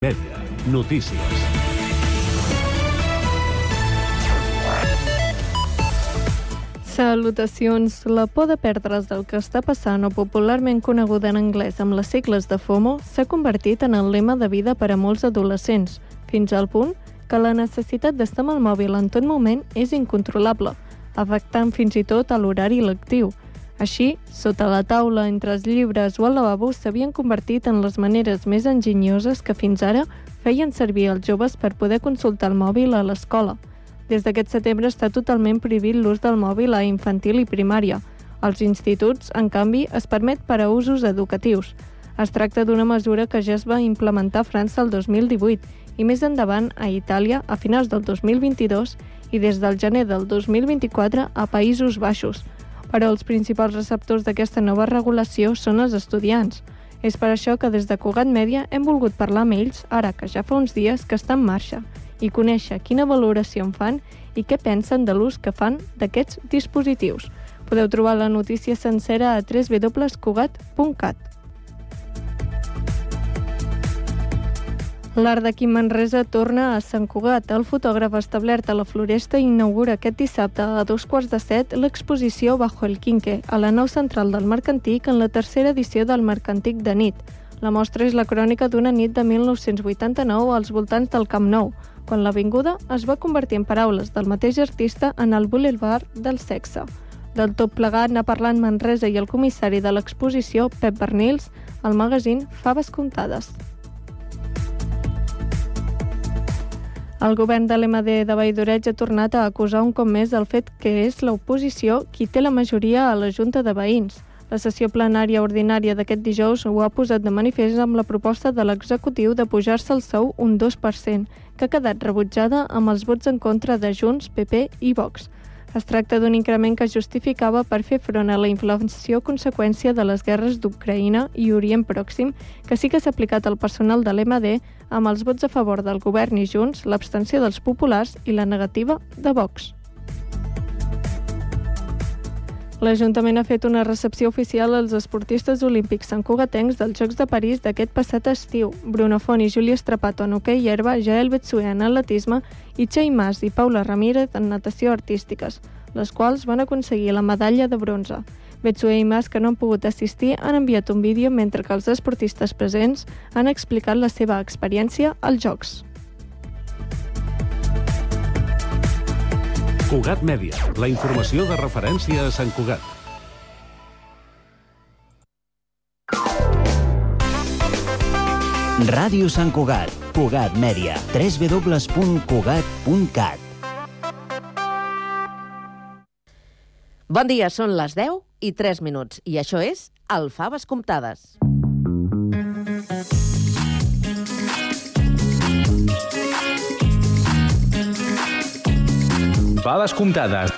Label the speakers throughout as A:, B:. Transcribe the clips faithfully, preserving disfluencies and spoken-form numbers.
A: Mèdia. Notícies.
B: Salutacions. La por de perdre's del que està passant, o popularment coneguda en anglès amb les sigles de FOMO, s'ha convertit en el lema de vida per a molts adolescents, fins al punt que la necessitat d'estar amb el mòbil en tot moment és incontrolable, afectant fins i tot a l'horari lectiu. Així, sota la taula, entre els llibres o al lavabo, s'havien convertit en les maneres més enginyoses que fins ara feien servir els joves per poder consultar el mòbil a l'escola. Des d'aquest setembre està totalment prohibit l'ús del mòbil a infantil i primària. Als instituts, en canvi, es permet per a usos educatius. Es tracta d'una mesura que ja es va implementar a França el dos mil divuit i més endavant a Itàlia a finals del dos mil vint-i-dos i des del gener del dos mil vint-i-quatre a Països Baixos. Però els principals receptors d'aquesta nova regulació són els estudiants. És per això que des de Cugat Mèdia hem volgut parlar amb ells, ara que ja fa uns dies que està en marxa, i conèixer quina valoració en fan i què pensen de l'ús que fan d'aquests dispositius. Podeu trobar la notícia sencera a w w w punt cugat punt cat. L'Art d'aquí Manresa torna a Sant Cugat. El fotògraf establert a la Floresta inaugura aquest dissabte a dos quarts de set l'exposició Bajo el Quinque, a la nau central del Marc Antic en la tercera edició del Marc Antic de nit. La mostra és la crònica d'una nit de mil nou-cents vuitanta-nou als voltants del Camp Nou, quan l'avinguda es va convertir en paraules del mateix artista en el Boulevard del Sexe. Del tot plegat n'ha parlat Manresa i el comissari de l'exposició, Pep Bernils, al magazín Faves Comptades. El govern de l'M D de Valldoreig ha tornat a acusar un cop més el fet que és l'oposició qui té la majoria a la Junta de Veïns. La sessió plenària ordinària d'aquest dijous ho ha posat de manifest amb la proposta de l'executiu de pujar-se el sou un dos per cent, que ha quedat rebutjada amb els vots en contra de Junts, P P i Vox. Es tracta d'un increment que es justificava per fer front a la inflació conseqüència de les guerres d'Ucraïna i Orient Pròxim, que sí que s'ha aplicat al personal de l'M D amb els vots a favor del govern i Junts, l'abstenció dels populars i la negativa de Vox. L'Ajuntament ha fet una recepció oficial als esportistes olímpics santcugatencs dels Jocs de París d'aquest passat estiu. Bruno Font i Júlia Strapato en hoquei herba, Jael Betsué en atletisme i Txell Mas i Paula Ramírez en natació artístiques, les quals van aconseguir la medalla de bronze. Betsué i Mas, que no han pogut assistir, han enviat un vídeo mentre que els esportistes presents han explicat la seva experiència als Jocs.
A: Cugat Mèdia, la informació de referència a Sant Cugat.
C: Ràdio Sant Cugat, Cugat Mèdia, w w w punt cugat punt cat.
D: Bon dia, són les deu i tres minuts, i això és el Faves Comptades.
E: Faves Comptades.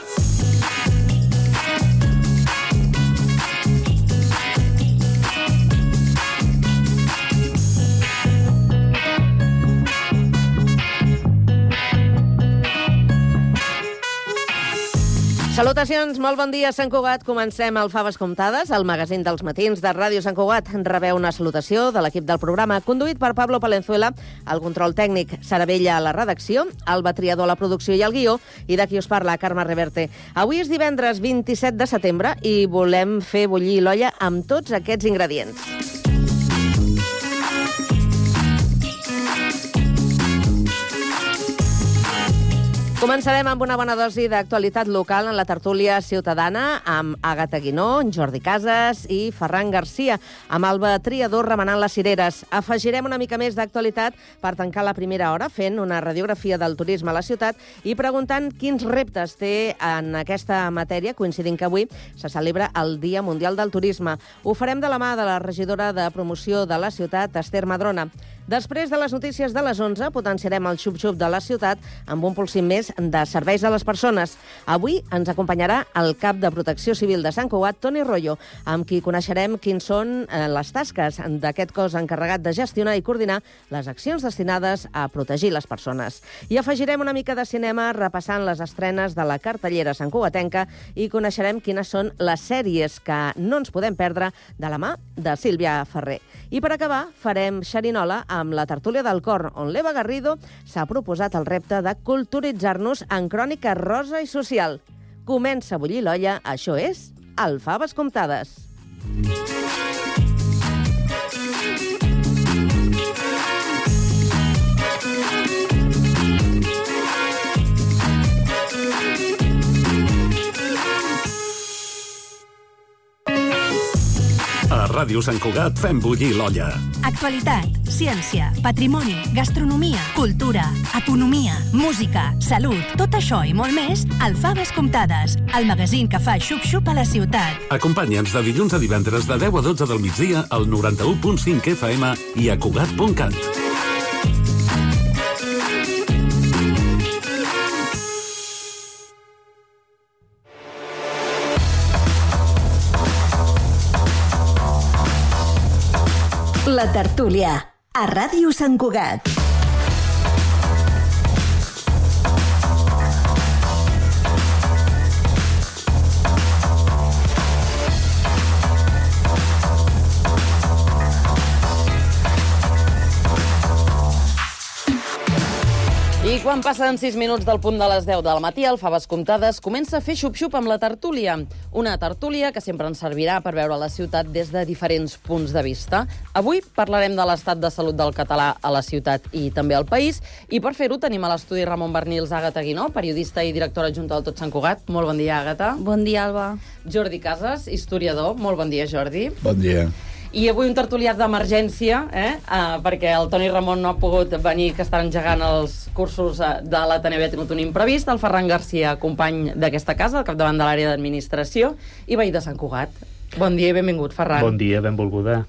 D: Salutacions, molt bon dia, Sant Cugat. Comencem el Faves Comptades, el magazín dels matins de Ràdio Sant Cugat. Rebeu una salutació de l'equip del programa, conduït per Pablo Palenzuela, el control tècnic, Sara Bella a la redacció, Alba Triador a la producció i el guió, i de qui us parla, Carme Reverte. Avui és divendres vint-i-set de setembre i volem fer bullir l'olla amb tots aquests ingredients. Començarem amb una bona dosi d'actualitat local en la tertúlia ciutadana amb Àgata Guinó, Jordi Casas i Ferran Garcia, amb Alba Triador remenant les cireres. Afegirem una mica més d'actualitat per tancar la primera hora fent una radiografia del turisme a la ciutat i preguntant quins reptes té en aquesta matèria, coincidint que avui se celebra el Dia Mundial del Turisme. Ho farem de la mà de la regidora de promoció de la ciutat, Esther Madrona. Després de les notícies de les onze, potenciarem el xup-xup de la ciutat amb un pulsim més de serveis a les persones. Avui ens acompanyarà el cap de Protecció Civil de Sant Cugat, Toni Royo, amb qui coneixerem quins són les tasques d'aquest cos encarregat de gestionar i coordinar les accions destinades a protegir les persones. I afegirem una mica de cinema repassant les estrenes de la cartellera santcugatenca i coneixerem quines són les sèries que no ens podem perdre de la mà de Sílvia Ferrer. I per acabar, farem xerinola amb la tertúlia del cor, on l'Eva Garrido s'ha proposat el repte de culturitzar-nos en crònica rosa i social. Comença a bullir l'olla, això és el Faves Comptades.
A: A Ràdio Sant Cugat fem bullir l'olla.
E: Actualitat, ciència, patrimoni, gastronomia, cultura, economia, música, salut, tot això i molt més al Faves Comptades, el magazín que fa xup-xup a la ciutat.
A: Acompanya'ns de dilluns a divendres de deu a dotze del migdia al noranta-u punt cinc F M i a Cugat punt cat.
E: La tertúlia, a Ràdio Sant Cugat.
D: I quan passen sis minuts del punt de les deu del matí, el Faves Comptades comença a fer xup-xup amb la tertúlia. Una tertúlia que sempre ens servirà per veure la ciutat des de diferents punts de vista. Avui parlarem de l'estat de salut del català a la ciutat i també al país, i per fer-ho tenim a l'estudi Ramon Bernils, Àgata Guinó, periodista i directora adjunta del Tot Sant Cugat. Molt bon dia, Àgata.
F: Bon dia, Alba.
D: Jordi Casas, historiador. Molt bon dia, Jordi.
G: Bon dia.
D: I avui un tertuliat d'emergència, eh? uh, perquè el Toni Ramon no ha pogut venir, que estan engegant els cursos uh, de l'Ateneu i ha tingut un imprevist. El Ferran Garcia, company d'aquesta casa, al capdavant de l'àrea d'administració, i veí de Sant Cugat. Bon dia i benvingut, Ferran.
H: Bon dia, benvolguda.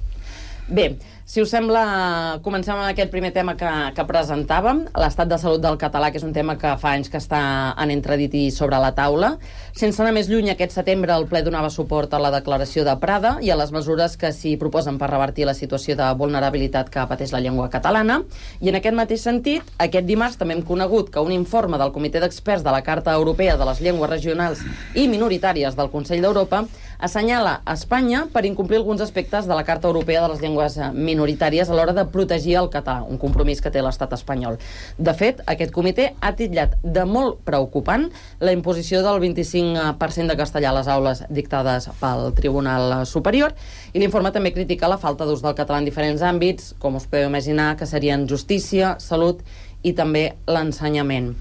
D: Bé, si us sembla, comencem amb aquest primer tema que, que presentàvem, l'estat de salut del català, que és un tema que fa anys que està en entredit i sobre la taula. Sense anar més lluny, aquest setembre el ple donava suport a la declaració de Prada i a les mesures que s'hi proposen per revertir la situació de vulnerabilitat que pateix la llengua catalana. I en aquest mateix sentit, aquest dimarts també hem conegut que un informe del Comitè d'Experts de la Carta Europea de les Llengües Regionals i Minoritàries del Consell d'Europa assenyala a Espanya per incomplir alguns aspectes de la Carta Europea de les Llengües Minoritàries a l'hora de protegir el català, un compromís que té l'estat espanyol. De fet, aquest comitè ha titllat de molt preocupant la imposició del vint-i-cinc per cent de castellà a les aules dictades pel Tribunal Superior, i l'informe també critica la falta d'ús del català en diferents àmbits, com us podeu imaginar, que serien justícia, salut i també l'ensenyament.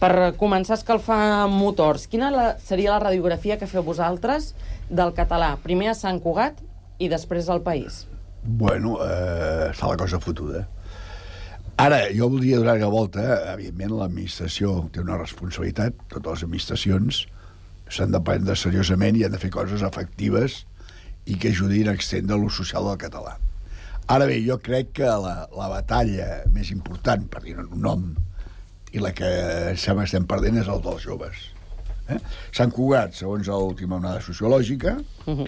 D: Per començar a escalfar motors, quina la, seria la radiografia que feu vosaltres del català, primer a Sant Cugat i després al país?
G: Bueno, eh, està la cosa fotuda. Ara, jo voldria donar una volta. Evidentment, l'administració té una responsabilitat. Totes les administracions s'han de prendre seriosament i han de fer coses efectives i que ajudin a extendre l'ús social del català. Ara bé, jo crec que la, la batalla més important, per dir un nom, i la que sembla que estem perdent, és el dels joves. Eh? Sant Cugat, segons l'última onada sociològica, uh-huh.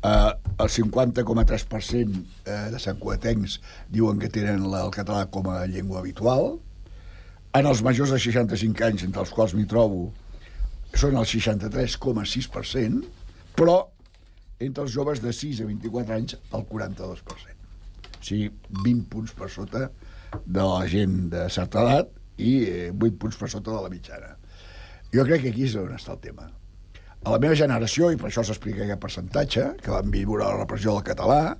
G: eh, el cinquanta coma tres per cent de santcugatencs diuen que tenen el català com a llengua habitual. En els majors de seixanta-cinc anys, entre els quals m'hi trobo, són el seixanta-tres coma sis per cent, però entre els joves de sis a vint-i-quatre anys, el quaranta-dos per cent. O sigui, vint punts per sota de la gent de certa edat i vuit punts per sota de la mitjana. Jo crec que aquí és on està el tema. A la meva generació, i per això s'explica aquest percentatge, que vam viure la repressió del català,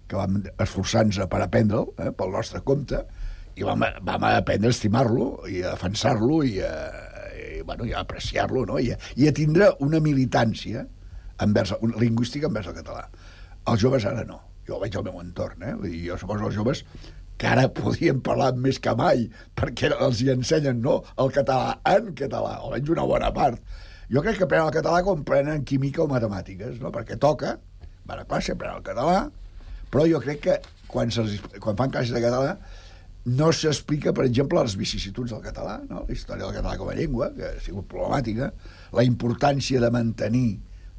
G: que vam esforçar-nos per aprendre'l, eh, pel nostre compte, i vam, vam aprendre a estimar-lo i a defensar-lo i a, i, bueno, i a apreciar-lo, no? I, a, i a tindre una militància envers, una lingüística envers el català. Els joves ara no. Jo veig el meu entorn, eh? I jo suposo els joves que ara podien parlar més que mai, perquè els hi ensenyen, no?, el català en català, almenys una bona part. Jo crec que aprenen el català com prenen química o matemàtiques, no?, perquè toca, van a classe, aprenen el català, però jo crec que quan, quan fan classes de català no s'explica, per exemple, les vicissituds del català, no?, la història del català com a llengua, que ha sigut problemàtica, la importància de mantenir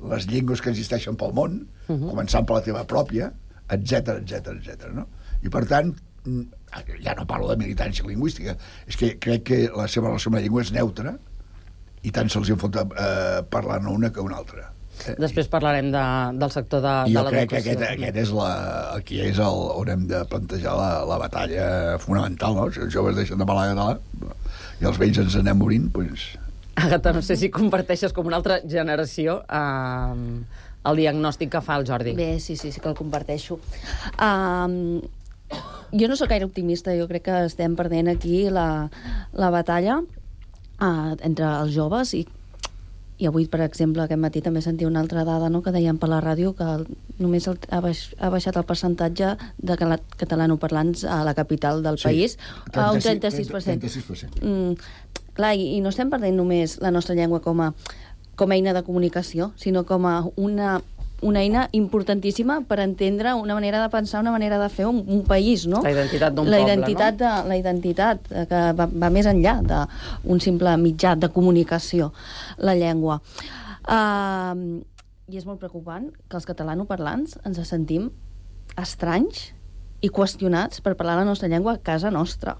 G: les llengües que existeixen pel món, uh-huh. començant per la teva pròpia, etcètera, etcètera, etcètera, no? I, per tant, ja no parlo de militància lingüística, és que crec que la seva relació amb la llengua és neutra i tant se'ls en fot eh, parlar-ne una que una altra.
F: Després parlarem de, del sector de, de
G: l'educació. Jo crec que aquest, aquest és la, aquí és el, on hem de plantejar la, la batalla fonamental, no? Si els joves deixen de parlar català i els vells ens anem morint, doncs...
F: Àgata, no sé si comparteixes com una altra generació eh, el diagnòstic que fa el Jordi.
H: Bé, sí, sí, sí que el comparteixo. Um, jo no sóc gaire optimista, jo crec que estem perdent aquí la, la batalla uh, entre els joves i I avui, per exemple, aquest matí també sentia una altra dada, no?, que deien per la ràdio que només el, ha, baix, ha baixat el percentatge de catalanoparlants a la capital del sí, país a un trenta-sis per cent.
G: trenta-sis per cent.
H: Mm, clar, i, i no estem perdent només la nostra llengua com a, com a eina de comunicació, sinó com a una, una eina importantíssima per entendre una manera de pensar, una manera de fer un, un país, no?
F: La identitat d'un
H: la
F: poble,
H: identitat
F: no?
H: De, la identitat que va, va més enllà d'un simple mitjà de comunicació, la llengua. Uh, I és molt preocupant que els catalanoparlants ens sentim estranys i qüestionats per parlar la nostra llengua a casa nostra.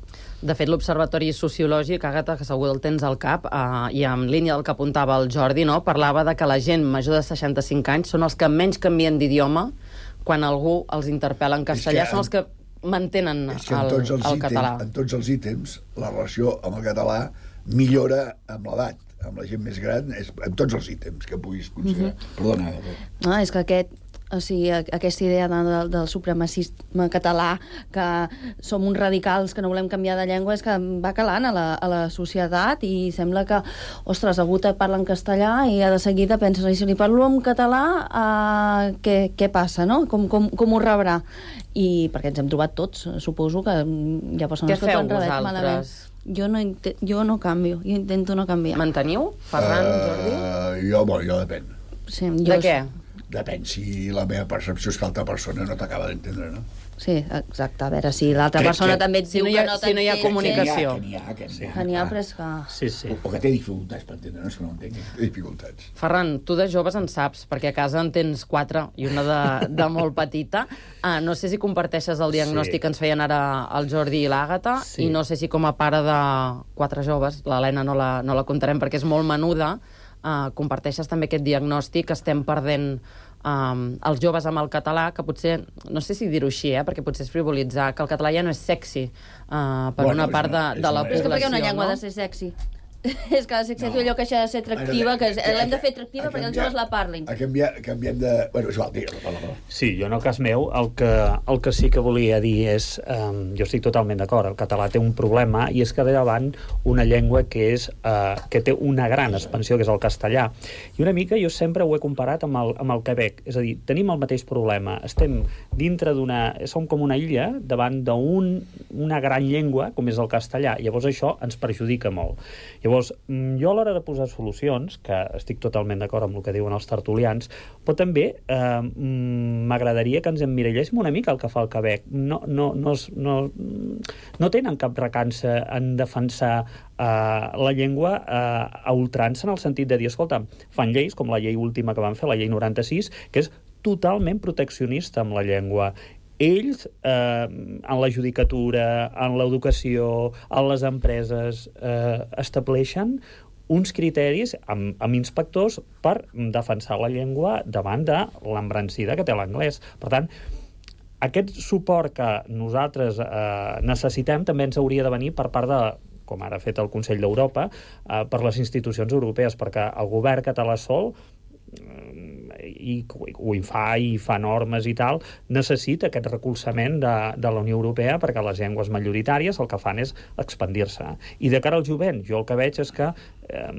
F: De fet, l'Observatori Sociològic, Àgata, que segur el tens al cap, eh, i en línia del que apuntava el Jordi, no?, parlava de que la gent major de seixanta-cinc anys són els que menys canvien d'idioma quan algú els interpel·la en castellà, són els que mantenen el, el
G: ítems,
F: català.
G: En tots els ítems, la relació amb el català millora amb l'edat. Amb la gent més gran, és, en tots els ítems que puguis considerar. Mm-hmm. Perdona.
H: No, és que aquest... O sigui, aquesta idea de, del, del supremacisme català, que som uns radicals que no volem canviar de llengua, és que va calant a la, a la societat i sembla que, ostres, algú te parla en castellà i de seguida penses, si li parlo en català, uh, què, què passa, no? Com, com, com ho rebrà? I perquè ens hem trobat tots, suposo que hi ha persones que t'ho han rebut malament. Jo no, jo no canvio, jo intento no canviar.
F: Manteniu, Ferran,
G: uh,
F: Jordi?
G: Jo, bueno, jo depèn.
H: Sí, jo...
F: De què?
G: Depèn si la meva percepció és que l'altra persona no t'acaba d'entendre, no?
H: Sí, exacte. A veure, si l'altra persona que, també et diu
F: si no ha,
H: que no
F: si no hi ha comunicació.
G: Que n'hi ha, que n'hi ha.
H: Que n'hi ha, però és que...
I: Sí, sí.
G: O, o que té dificultats per entendre, no és que no entengui, té dificultats.
F: Ferran, tu de joves en saps, perquè a casa en tens quatre i una de, de molt petita. Ah, no sé si comparteixes el diagnòstic sí. que ens feien ara el Jordi i l'Àgata, sí. i no sé si com a pare de quatre joves, l'Helena no la, no la contarem perquè és molt menuda, Uh, comparteixes també aquest diagnòstic que estem perdent um, els joves amb el català, que potser, no sé si dir-ho així, eh, perquè potser és frivolitzar, que el català ja no és sexy uh, per bueno, una part de, de la població.
H: És que perquè una llengua
F: no?
H: ha de ser sexy. És que la sexualitat no. allò que deixa de ser atractiva, que l'hem de fer atractiva perquè els joves la parlin.
G: A canviar, canviem de... Bueno, és igual, digue-la, parla.
I: Sí, jo en el cas meu, el que, el que sí que volia dir és, um, jo estic totalment d'acord, el català té un problema, i és que ve davant una llengua que és uh, que té una gran expansió, que és el castellà. I una mica jo sempre ho he comparat amb el, amb el Quebec, és a dir, tenim el mateix problema, estem dintre d'una... som com una illa davant d'una un, gran llengua, com és el castellà, llavors això ens perjudica molt. Llavors, jo a l'hora de posar solucions, que estic totalment d'acord amb el que diuen els tertulians, però també eh, m'agradaria que ens emmiralléssim una mica el que fa el Quebec. No, no, no, no, no tenen cap recança en defensar eh, la llengua eh, a ultrança, en el sentit de dir, escolta, fan lleis, com la llei última que van fer, la llei noranta-sis, que és totalment proteccionista amb la llengua. Ells, eh, en la judicatura, en l'educació, en les empreses, eh, estableixen uns criteris amb, amb inspectors per defensar la llengua davant de l'embrancida que té l'anglès. Per tant, aquest suport que nosaltres eh, necessitem també ens hauria de venir per part de, com ara ha fet el Consell d'Europa, eh, per les institucions europees, perquè el govern català sol i ho fa i fa normes i tal, necessita aquest recolzament de, de la Unió Europea, perquè les llengües majoritàries el que fan és expandir-se. I de cara al jovent, jo el que veig és que eh,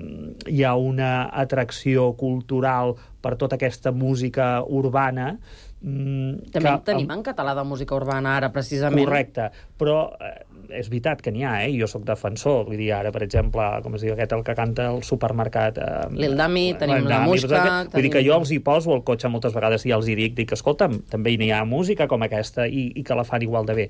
I: hi ha una atracció cultural per tota aquesta música urbana.
F: Mm, També que, tenim en català de música urbana ara, precisament.
I: Correcte, però eh, és veritat que n'hi ha, eh? Jo sóc defensor, vull dir, ara, per exemple, com es diu aquest, el que canta al supermercat... Eh,
F: L'Il Dami, tenim la Muixca...
I: Vull tenim... dir que jo els hi poso al cotxe moltes vegades i els hi dic, dic, escolta'm, també n'hi ha música com aquesta i, i que la fan igual de bé.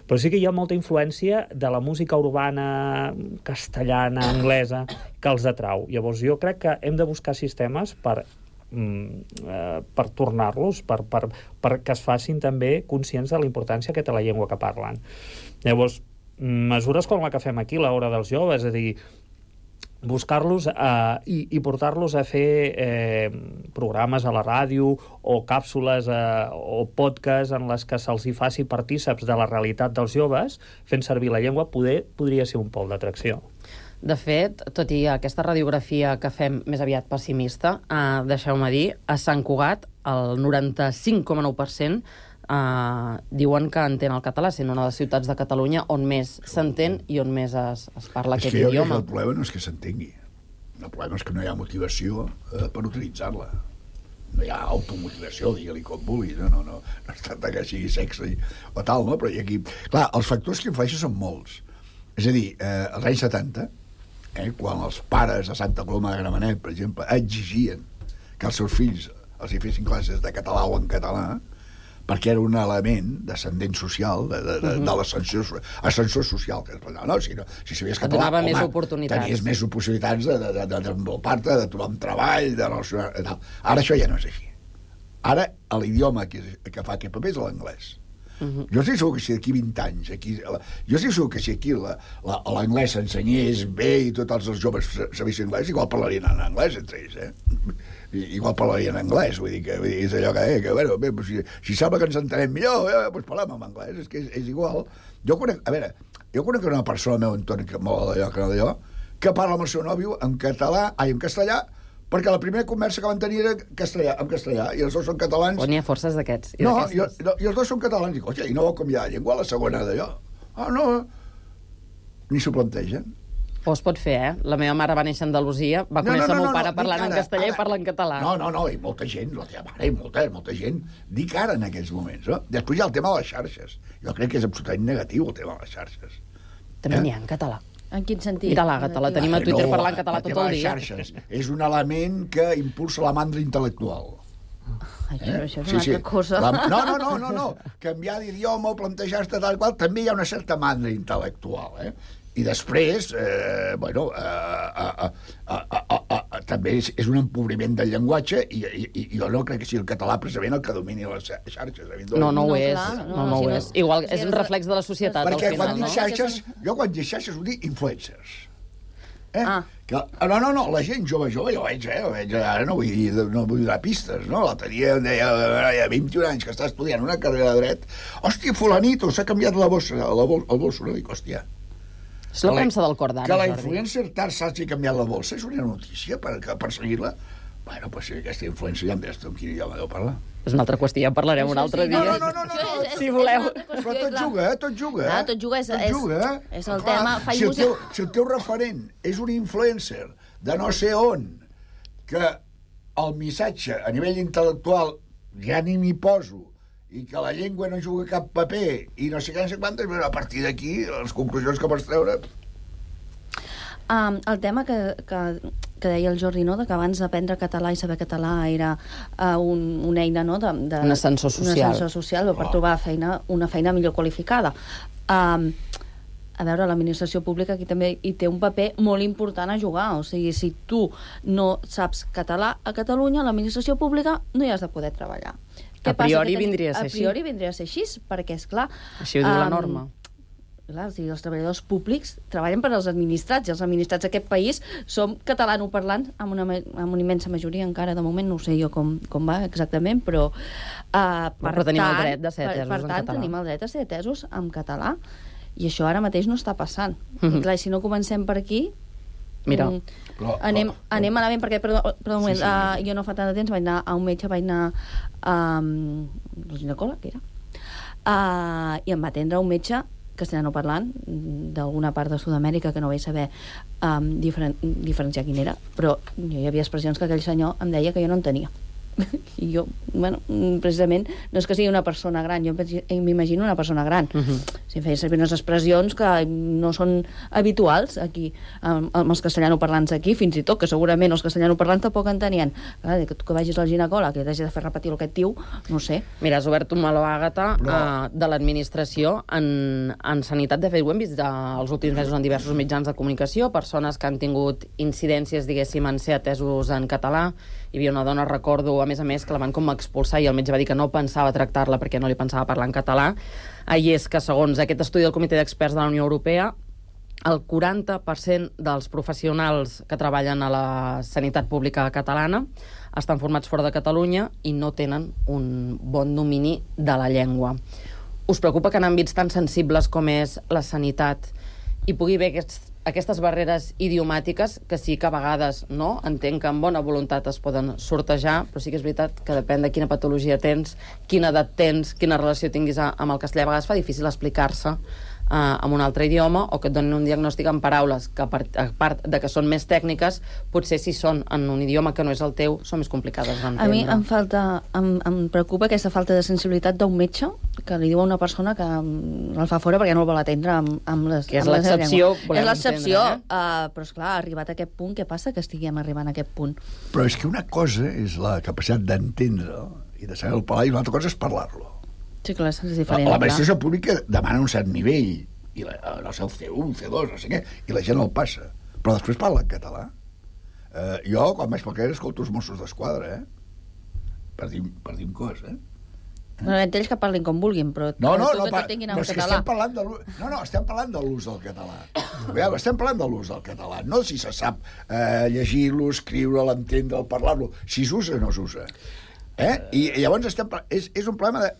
I: Però sí que hi ha molta influència de la música urbana castellana, anglesa, que els atrau. Llavors jo crec que hem de buscar sistemes per per tornar-los, per, per, per que es facin també conscients de la importància que té la llengua que parlen. Llavors, mesures com la que fem aquí, l'hora dels joves, és a dir, buscar-los eh, i, i portar-los a fer eh, programes a la ràdio o càpsules eh, o podcasts en les que se'ls hi faci partíceps de la realitat dels joves fent servir la llengua, poder, podria ser un pol d'atracció.
F: De fet, tot i aquesta radiografia que fem més aviat pessimista, eh, deixeu-me dir, a Sant Cugat el noranta-cinc coma nou per cent Uh, diuen que entén el català, sent una de les ciutats de Catalunya on més s'entén i on més es, es parla
G: és
F: aquest
G: que jo
F: idioma.
G: El problema no és que s'entengui. El problema és que no hi ha motivació eh, per utilitzar-la. No hi ha automotivació, digue-li com vulgui. No, no, no. No es tracta que sigui sexe o tal, no? Però hi ha aquí... Clar, els factors que influeixen són molts. És a dir, eh, als anys setanta, eh, quan els pares a Santa Coloma de Gramenet, per exemple, exigien que els seus fills els hi fessin classes de català o en català, perquè era un element d'ascendent social, de, de, de, de l'ascensor ascensor social. Que, no, no, si, no, si sabies català,
F: donava
G: home,
F: més oportunitats.
G: tenies més possibilitats de, de, de, de desenvolupar-te, de trobar un treball, de relacionar... Tal. Ara això ja no és així. Ara l'idioma que, que fa aquest paper és l'anglès. Uh-huh. Jo estic segur que si d'aquí vint anys aquí, jo estic segur que si aquí l'anglès s'ensenyés bé i tots els joves sabessin anglès, igual parlarien en anglès entre ells, eh? Igual parlarien en anglès, vull dir que, vull dir, és allò que, eh, que bueno, bé, si, si sembla que ens entenem millor, eh, doncs parlem en anglès, és que és, és igual. Jo conec, a veure, jo conec una persona al meu entorn que molt d'allò, que no d'allò, que parla amb el seu nòvio en català, ai, en castellà, perquè la primera conversa que van tenir era castellà, en castellà, i els dos són catalans.
F: O n'hi ha forces d'aquests.
G: No, i, no, i els dos són catalans. Dic, hòstia, i no vol canviar de llengua a la segona d'allò? Ah, no, ni s'ho plantegen.
F: O es pot fer, eh? La meva mare va néixer a Andalusia, va conèixer no, no, no, el meu pare no, parlant ara, en castellà ara, i parla en català.
G: No, no, no, i molta gent, la teva mare, i molta, molta gent, dic ara en aquells moments, no? Després hi ha el tema de les xarxes. Jo crec que és absolutament negatiu el tema de les xarxes.
F: També
G: eh?
F: n'hi ha en català.
H: En quin sentit?
F: Mira l'Àgata, la tenim a Twitter no, parlant català tot el dia.
G: Xarxes és un element que impulsa la mandra intel·lectual.
H: Ai,
G: eh?
H: això és una sí, altra sí. cosa.
G: La... No, no, no, no, no. Canviar d'idioma o plantejar-te tal qual, també hi ha una certa mandra intel·lectual, eh? I després, eh, bueno, eh, eh, eh, eh, eh, eh, també és, és un empobriment del llenguatge i, i, i jo no crec que sigui el català precisament el que domini les xarxes.
F: No, no ho és. No, no ho és. Igual és un reflex de la societat, al final.
G: Perquè quan dic xarxes, jo quan dic xarxes ho dic influencers. Eh? Ah. Que, no, no, no, la gent jove, jove, jo veig, eh, jo veig, ara no vull, dir, no vull donar pistes, no? L'altre dia em deia, hi ha vint-i-un anys que està estudiant una carrera de dret, hòstia, fulanito, s'ha canviat la bossa, la bol, el bolso, no? Dic, hòstia,
F: és la premsa del cor d'ara,
G: que la influencer tard s'hagi canviat la bolsa és una notícia per, per seguir-la. Bueno, pues si aquesta influencer ja em diràs tu amb quin idioma deu parlar.
F: És una altra qüestió, ja parlarem un altre dia.
G: No, no, no, no, no.
F: Si voleu.
G: Però tot juga, tot juga.
H: Ah, tot juga, és, tot juga. És, és el clar, tema...
G: Si el, teu, si el teu referent és un influencer de no sé on, que el missatge a nivell intel·lectual ja ni m'hi poso, i que la llengua no juga cap paper, i no sé què, no sé quantes, però a partir d'aquí, les conclusions que pots treure...
H: Um, el tema que, que, que deia el Jordi, no?, de que abans d'aprendre català i saber català era uh, un, una eina, no?, de, de,
F: un ascensor social,
H: un ascensor social per oh. trobar feina, una feina millor qualificada. Um, a veure, l'administració pública aquí també hi té un paper molt important a jugar. O sigui, si tu no saps català a Catalunya, l'administració pública no hi has de poder treballar.
F: A priori vindria a ser així.
H: A priori vindria a ser així, perquè, esclar...
F: Així ho diu la norma.
H: Clar, o sigui, els treballadors públics treballen per als administrats, i els administrats d'aquest país som catalanoparlants, amb una, amb una immensa majoria encara, de moment no sé jo com, com va exactament, però... Uh, per
F: però tenim
H: tant,
F: el dret de ser atesos
H: per, per
F: en
H: tant,
F: català.
H: tenim el dret a ser atesos en català, i això ara mateix no està passant. Mm-hmm. I clar, si no comencem per aquí...
F: Mira,
H: um, però, anem, però, anem malament, perquè, perdó, perdó un moment, sí, sí. Uh, jo no fa tant de temps vaig anar a un metge, vaig anar a um, el ginecòleg, que era, uh, i em va atendre un metge castellano parlant d'alguna part de Sud-amèrica que no vaig saber um, diferen diferenciar quin era, però hi havia expressions que aquell senyor em deia que jo no en tenia. I jo, bueno, precisament no és que sigui una persona gran, jo m'imagino una persona gran. Uh-huh. Si feia servir unes expressions que no són habituals aquí, amb, amb els castellanoparlants aquí, fins i tot, que segurament els castellanoparlants tampoc en tenien. Clar, que tu que vagis al ginecòleg i t'hagi de fer repetir el que et diu, no sé.
F: Mira, has obert un meló, Àgata, Però... uh, de l'administració en, en sanitat. De fet, ho hem vist els últims mesos en diversos mitjans de comunicació, persones que han tingut incidències, diguéssim, en ser atesos en català. Hi havia una dona, recordo, a més a més, que la van com expulsar i el metge va dir que no pensava tractar-la perquè no li pensava parlar en català. I és que, segons aquest estudi del Comitè d'Experts de la Unió Europea, el quaranta per cent dels professionals que treballen a la sanitat pública catalana estan formats fora de Catalunya i no tenen un bon domini de la llengua. Us preocupa que en àmbits tan sensibles com és la sanitat hi pugui haver aquests, aquestes barreres idiomàtiques que sí que a vegades no, entenc que amb bona voluntat es poden sortejar, però sí que és veritat que depèn de quina patologia tens, quina edat tens, quina relació tinguis amb el castellà, a vegades fa difícil explicar-se Uh, en un altre idioma, o que et donin un diagnòstic en paraules que, a part, a part de que són més tècniques, potser si són en un idioma que no és el teu, són més complicades d'entendre.
H: A mi em, falta, em, em preocupa aquesta falta de sensibilitat d'un metge que li diu a una persona que el fa fora perquè no el vol atendre amb, amb les
F: que és l'excepció,
H: és l'excepció, eh? uh, però esclar, arribat a aquest punt, què passa que estiguem arribant a aquest punt?
G: Però és que una cosa és la capacitat d'entendre i de saber el parlar, i una altra cosa és parlar-lo.
H: Sí, clar, és diferent.
G: La, l'administració pública demana un cert nivell, i la, no sé, el C u, el C dos, no sé què, i la gent el passa. Però després parla en català. Eh, jo, quan vaig pel carrer, escolto els Mossos d'Esquadra, eh? Per dir, per dir un cos, eh?
H: No, ells que parlin com vulguin, però
G: no, no, no,
H: que
G: pa,
H: tinguin
G: però
H: en
G: és
H: català.
G: Que estem parlant de l'ús, no, no, estem parlant de l'ús del català. Veure, estem parlant de l'ús del català, no si se sap eh, llegir-lo, escriure'l, entendre'l, parlar-lo, si s'usa o no s'usa. Eh? I, I llavors estem, és, és un problema de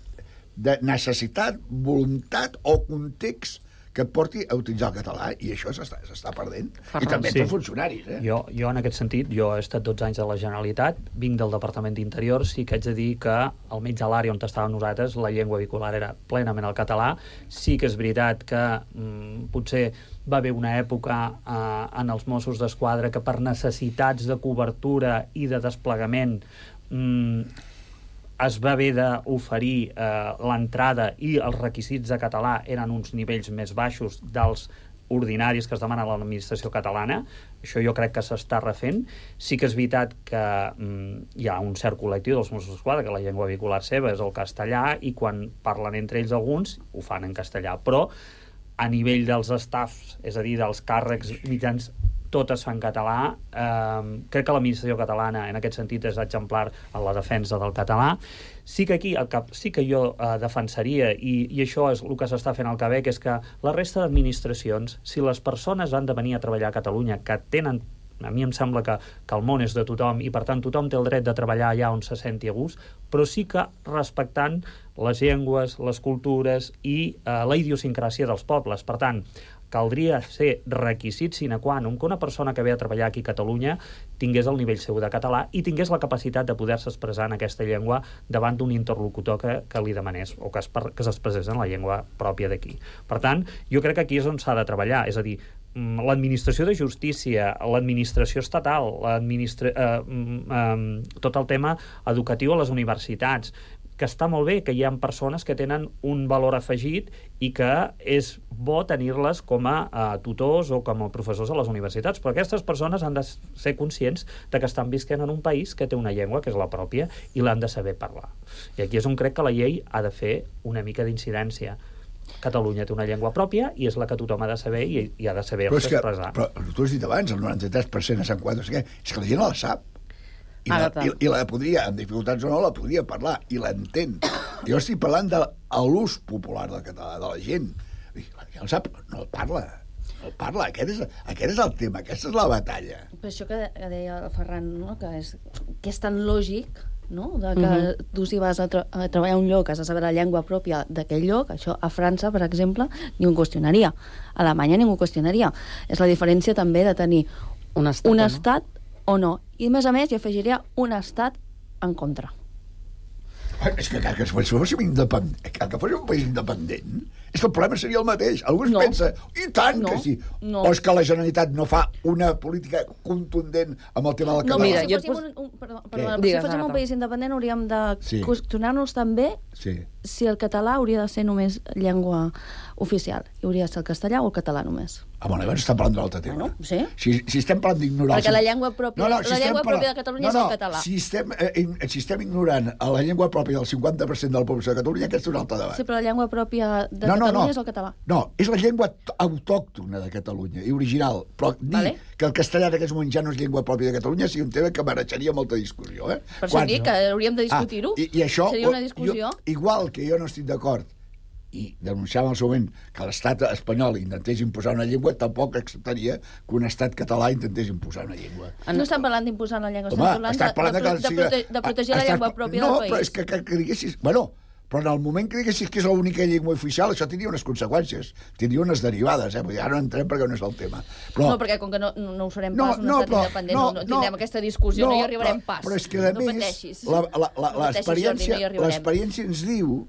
G: de necessitat, voluntat o context que et porti a utilitzar el català, i això s'està, s'està perdent. I també sí. Per funcionaris. Eh?
I: Jo, jo, en aquest sentit, jo he estat dotze anys a la Generalitat, vinc del Departament d'Interior, sí que haig de dir que almenys a l'àrea on estàvem nosaltres la llengua vehicular era plenament el català. Sí que és veritat que mm, potser va haver una època eh, en els Mossos d'Esquadra que per necessitats de cobertura i de desplegament mm, es va haver d'oferir eh, l'entrada i els requisits de català eren uns nivells més baixos dels ordinaris que es demanen a l'administració catalana. Això jo crec que s'està refent. Sí que és veritat que mm, hi ha un cert col·lectiu dels Mossos d'Esquadra que la llengua vehicular seva és el castellà i quan parlen entre ells alguns ho fan en castellà, però a nivell dels staffs, és a dir, dels càrrecs mitjans, tot es fa en català. Eh, crec que l'administració catalana en aquest sentit és exemplar en la defensa del català. Sí que aquí el que sí que jo eh, defensaria, i, i això és el que s'està fent al Quebec, és que la resta d'administracions, si les persones han de venir a treballar a Catalunya, que tenen, a mi em sembla que, que el món és de tothom i per tant tothom té el dret de treballar allà on se senti a gust, però sí que respectant les llengües, les cultures i eh, la idiosincràsia dels pobles. Per tant, caldria ser requisit sine qua non que una persona que ve a treballar aquí a Catalunya tingués el nivell seu de català i tingués la capacitat de poder-se expressar en aquesta llengua davant d'un interlocutor que, que li demanés o que, es, que s'expressés en la llengua pròpia d'aquí. Per tant, jo crec que aquí és on s'ha de treballar, és a dir, l'administració de justícia, l'administració estatal, l'administra... eh, eh, tot el tema educatiu a les universitats, que està molt bé, que hi ha persones que tenen un valor afegit i que és bo tenir-les com a, a tutors o com a professors a les universitats, però aquestes persones han de ser conscients de que estan visquent en un país que té una llengua que és la pròpia i l'han de saber parlar. I aquí és on crec que la llei ha de fer una mica d'incidència. Catalunya té una llengua pròpia i és la que tothom ha de saber i, i ha de saber-se expressar.
G: Però tu has dit abans, el noranta-tres per cent a Sant Quatre, és que la gent la sap. I la, i, i la podria, amb dificultats o no, la podria parlar, i l'entén. Jo estic parlant de l'ús popular del català, de la gent. La gent el sap, no el parla. No el parla. Aquest és, aquest és el tema, aquesta és la batalla.
H: Per això que deia el Ferran, no? que, és, que és tan lògic, no? de que uh-huh. tu si vas a, tra a treballar a un lloc has de saber la llengua pròpia d'aquell lloc. Això a França, per exemple, ningú qüestionaria. A Alemanya ningú qüestionaria. És la diferència també de tenir
F: un estat,
H: un
F: no?
H: estat o no. I a més a més hi afegiria un estat en contra.
G: És que cal que fóssim independent, cal que fóssim un país independent, és que el problema seria el mateix. Algú es
H: no.
G: pensa, i tant
H: no.
G: que sí.
H: No.
G: O és que la Generalitat no fa una política contundent amb el tema del català.
H: No,
F: mira,
H: si
F: jo
H: fóssim,
F: pos...
H: un, un, perdó, perdó,
F: Digues,
H: si fóssim un país independent hauríem de
G: sí.
H: qüestionar-nos també
G: sí.
H: si el català hauria de ser només llengua oficial. I hauria de ser el castellà o el català només.
G: Ah, bueno, llavors estem parlant d'un altre tema.
H: Bueno, sí.
G: Si, si estem parlant d'ignorar...
H: Perquè la llengua pròpia,
G: no, no, si
H: la llengua
G: parlant...
H: pròpia de Catalunya
G: no, no,
H: és el català.
G: Si estem, eh, si estem ignorant a la llengua pròpia del cinquanta per cent de la població de Catalunya, aquest és un altre debat.
H: Sí, però la llengua pròpia de
G: no, no,
H: Catalunya
G: no.
H: és el català.
G: No, és la llengua autòctona de Catalunya i original. Però dir vale. que el castellà en aquests moments ja no és llengua pròpia de Catalunya és un tema que mereixeria molta discussió. Eh?
H: Per això dic que hauríem de discutir-ho.
G: Ah, i, i això,
H: seria una discussió.
G: Jo, igual que jo no estic d'acord i denunciava en el seu moment que l'estat espanyol intentés imposar una llengua, tampoc acceptaria que un estat català intentés imposar una llengua.
H: No estan parlant d'imposar una llengua,
G: Home,
H: estan parlant de, de, de, de, prote de protegir la llengua pròpia
G: no,
H: del país.
G: No, però és que, que, que diguessis... Bueno, però en el moment que diguessis que és l'única llengua oficial, això tindria unes conseqüències, tindria unes derivades, eh? Vull dir, ara no entrem perquè no és el tema. Però...
H: No, perquè com que no, no ho farem
G: no,
H: pas, un
G: no,
H: estat
G: però,
H: independent,
G: no,
H: no, no tindrem
G: no,
H: aquesta discussió, no, no hi arribarem
G: però,
H: pas.
G: Però és que, a
H: no
G: més,
H: pateixis.
G: l'experiència
H: no
G: l'experiència ens diu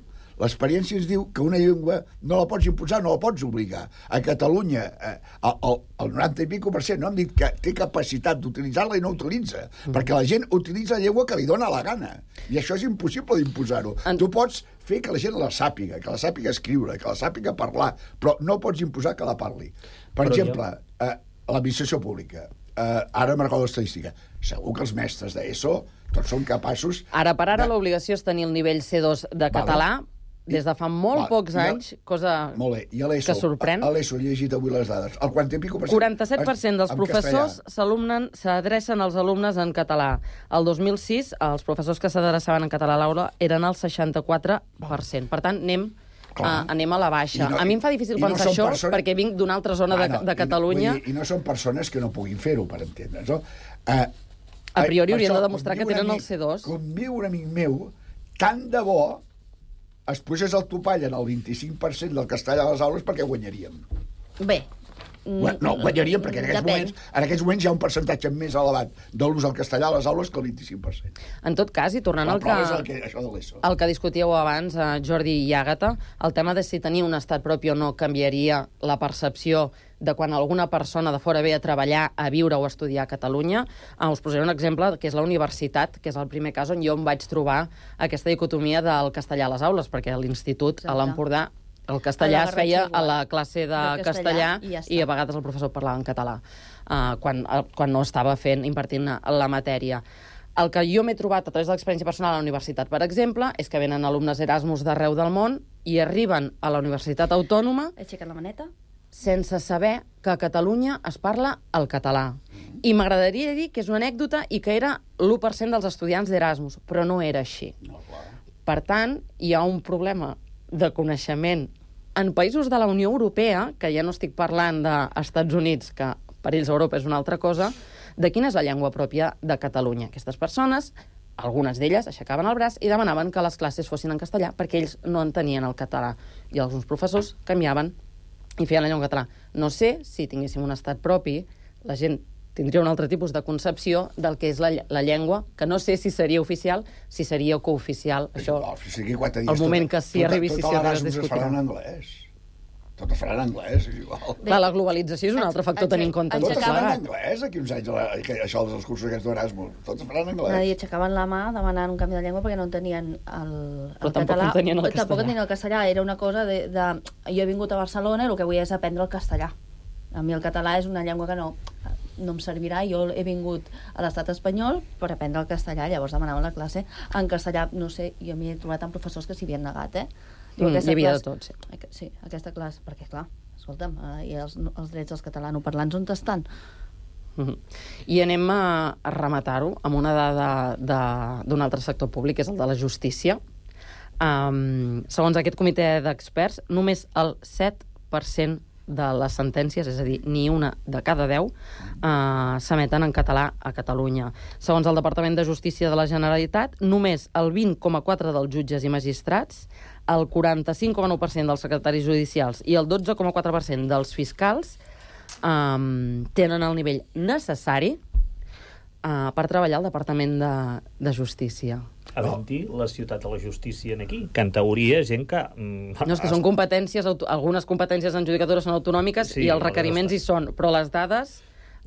G: l'experiència ens diu que una llengua no la pots imposar, no la pots obligar. A Catalunya, eh, el, el, el noranta i pico per cent no han dit que té capacitat d'utilitzar-la i no utilitza, mm. perquè la gent utilitza la llengua que li dona la gana. I això és impossible d'imposar-ho. En... Tu pots fer que la gent la sàpiga, que la sàpiga escriure, que la sàpiga parlar, però no pots imposar que la parli. Per però exemple, jo... eh, l'administració pública. Eh, ara me'n recordo l'estadística. Segur que els mestres d'ESO tots són capaços...
F: Ara per ara
G: de...
F: l'obligació és tenir el nivell C dos de català, vale. Des de fa molt Va, pocs anys, cosa
G: molt bé. I a
F: que sorprèn.
G: A l'ESO he llegit avui les dades. El quaranta i pico per cent...
F: quaranta-set per cent dels professors s'adrecen als alumnes en català. El dos mil sis, els professors que s'adreçaven en català a l'aula eren el seixanta-quatre per cent. Per tant, anem... Uh, anem a la baixa. No, a mi em fa difícil pensar no això persona... perquè vinc d'una altra zona ah, no, de, de Catalunya.
G: I, I no són persones que no puguin fer-ho, per entendre's. No? Uh,
F: a priori haurien de demostrar que tenen amic, el C dos.
G: Com diu un amic meu, tant de bo es posés el topall en el vint-i-cinc per cent del castellà a les aules perquè guanyaríem.
H: Bé.
G: No, guanyaríem perquè en aquests, moments, en aquests moments hi ha un percentatge més elevat de l'ús del castellà a les aules que el vint-i-cinc per cent.
F: En tot cas, i tornant al que,
G: el que, això de l'ESO.
F: el que discutíeu abans, eh, Jordi i Àgata, el tema de si tenir un estat propi o no canviaria la percepció de quan alguna persona de fora ve a treballar, a viure o a estudiar a Catalunya. Uh, us posaré un exemple, que és la universitat, que és el primer cas on jo em vaig trobar aquesta dicotomia del castellà a les aules, perquè a l'institut, a l'Empordà, el castellà es feia a la classe de, de castellà, castellà i, ja i a vegades el professor parlava en català, uh, quan, uh, quan no estava fent, impartint la matèria. El que jo m'he trobat a través de l'experiència personal a la universitat, per exemple, és que venen alumnes Erasmus d'arreu del món i arriben a la Universitat Autònoma...
H: Aixequen la maneta?
F: Sense saber que a Catalunya es parla el català. I m'agradaria dir que és una anècdota i que era l'u per cent dels estudiants d'Erasmus, però no era així.
G: No, clar.
F: Per tant, hi ha un problema de coneixement en països de la Unió Europea, que ja no estic parlant d'Estats Units, que per ells Europa és una altra cosa, de quina és la llengua pròpia de Catalunya. Aquestes persones, algunes d'elles, aixecaven el braç i demanaven que les classes fossin en castellà perquè ells no entenien el català. I alguns professors canviaven i feien la llengua català. No sé si tinguéssim un estat propi, la gent tindria un altre tipus de concepció del que és la, la llengua, que no sé si seria oficial, si seria cooficial. Això,
G: no, si quatre dies,
F: el moment
G: tot,
F: que s'hi arribi, si s'hi arribi, es
G: discutirà. Tot l'Erasmus es farà en anglès. Tot es farà en anglès, és igual.
F: Clar, la globalització és un altre factor a tenir en compte.
G: Tot es farà en anglès, aquí uns anys, això dels cursos aquests d'Erasmus. Tot es farà en anglès.
H: I aixecaven la mà demanant un canvi de llengua perquè no entenien el, el
F: Però tampoc
H: català.
F: Entenien el
H: tampoc entenien el castellà. Era una cosa de, de... Jo he vingut a Barcelona i el que vull és aprendre el castellà. A mi el català és una llengua que no, no em servirà. Jo he vingut a l'estat espanyol per aprendre el castellà, llavors demanaven la classe en castellà. No sé, jo m'hi he trobat amb professors que s'hi havien negat, eh?
F: Diu, mm, hi havia classe, de tot, sí.
H: Sí, aquesta classe, perquè clar, escolta'm, eh, i els, els drets dels catalanoparlants on estan?
F: Mm-hmm. I anem a, a rematar-ho amb una dada d'un altre sector públic, que és el de la justícia. Um, segons aquest comitè d'experts, només el set per cent de les sentències, és a dir, ni una de cada deu, eh, s'emeten en català a Catalunya. Segons el Departament de Justícia de la Generalitat, només el vint coma quatre dels jutges i magistrats, el quaranta-cinc coma nou per cent dels secretaris judicials i el dotze coma quatre per cent dels fiscals eh, tenen el nivell necessari eh, per treballar al Departament de, de Justícia.
I: Havent-hi la ciutat de la justícia en aquí, que en teoria és gent que... Mm,
F: no, és que són competències, algunes competències en judicatura són autonòmiques sí, i els requeriments hi són, però les dades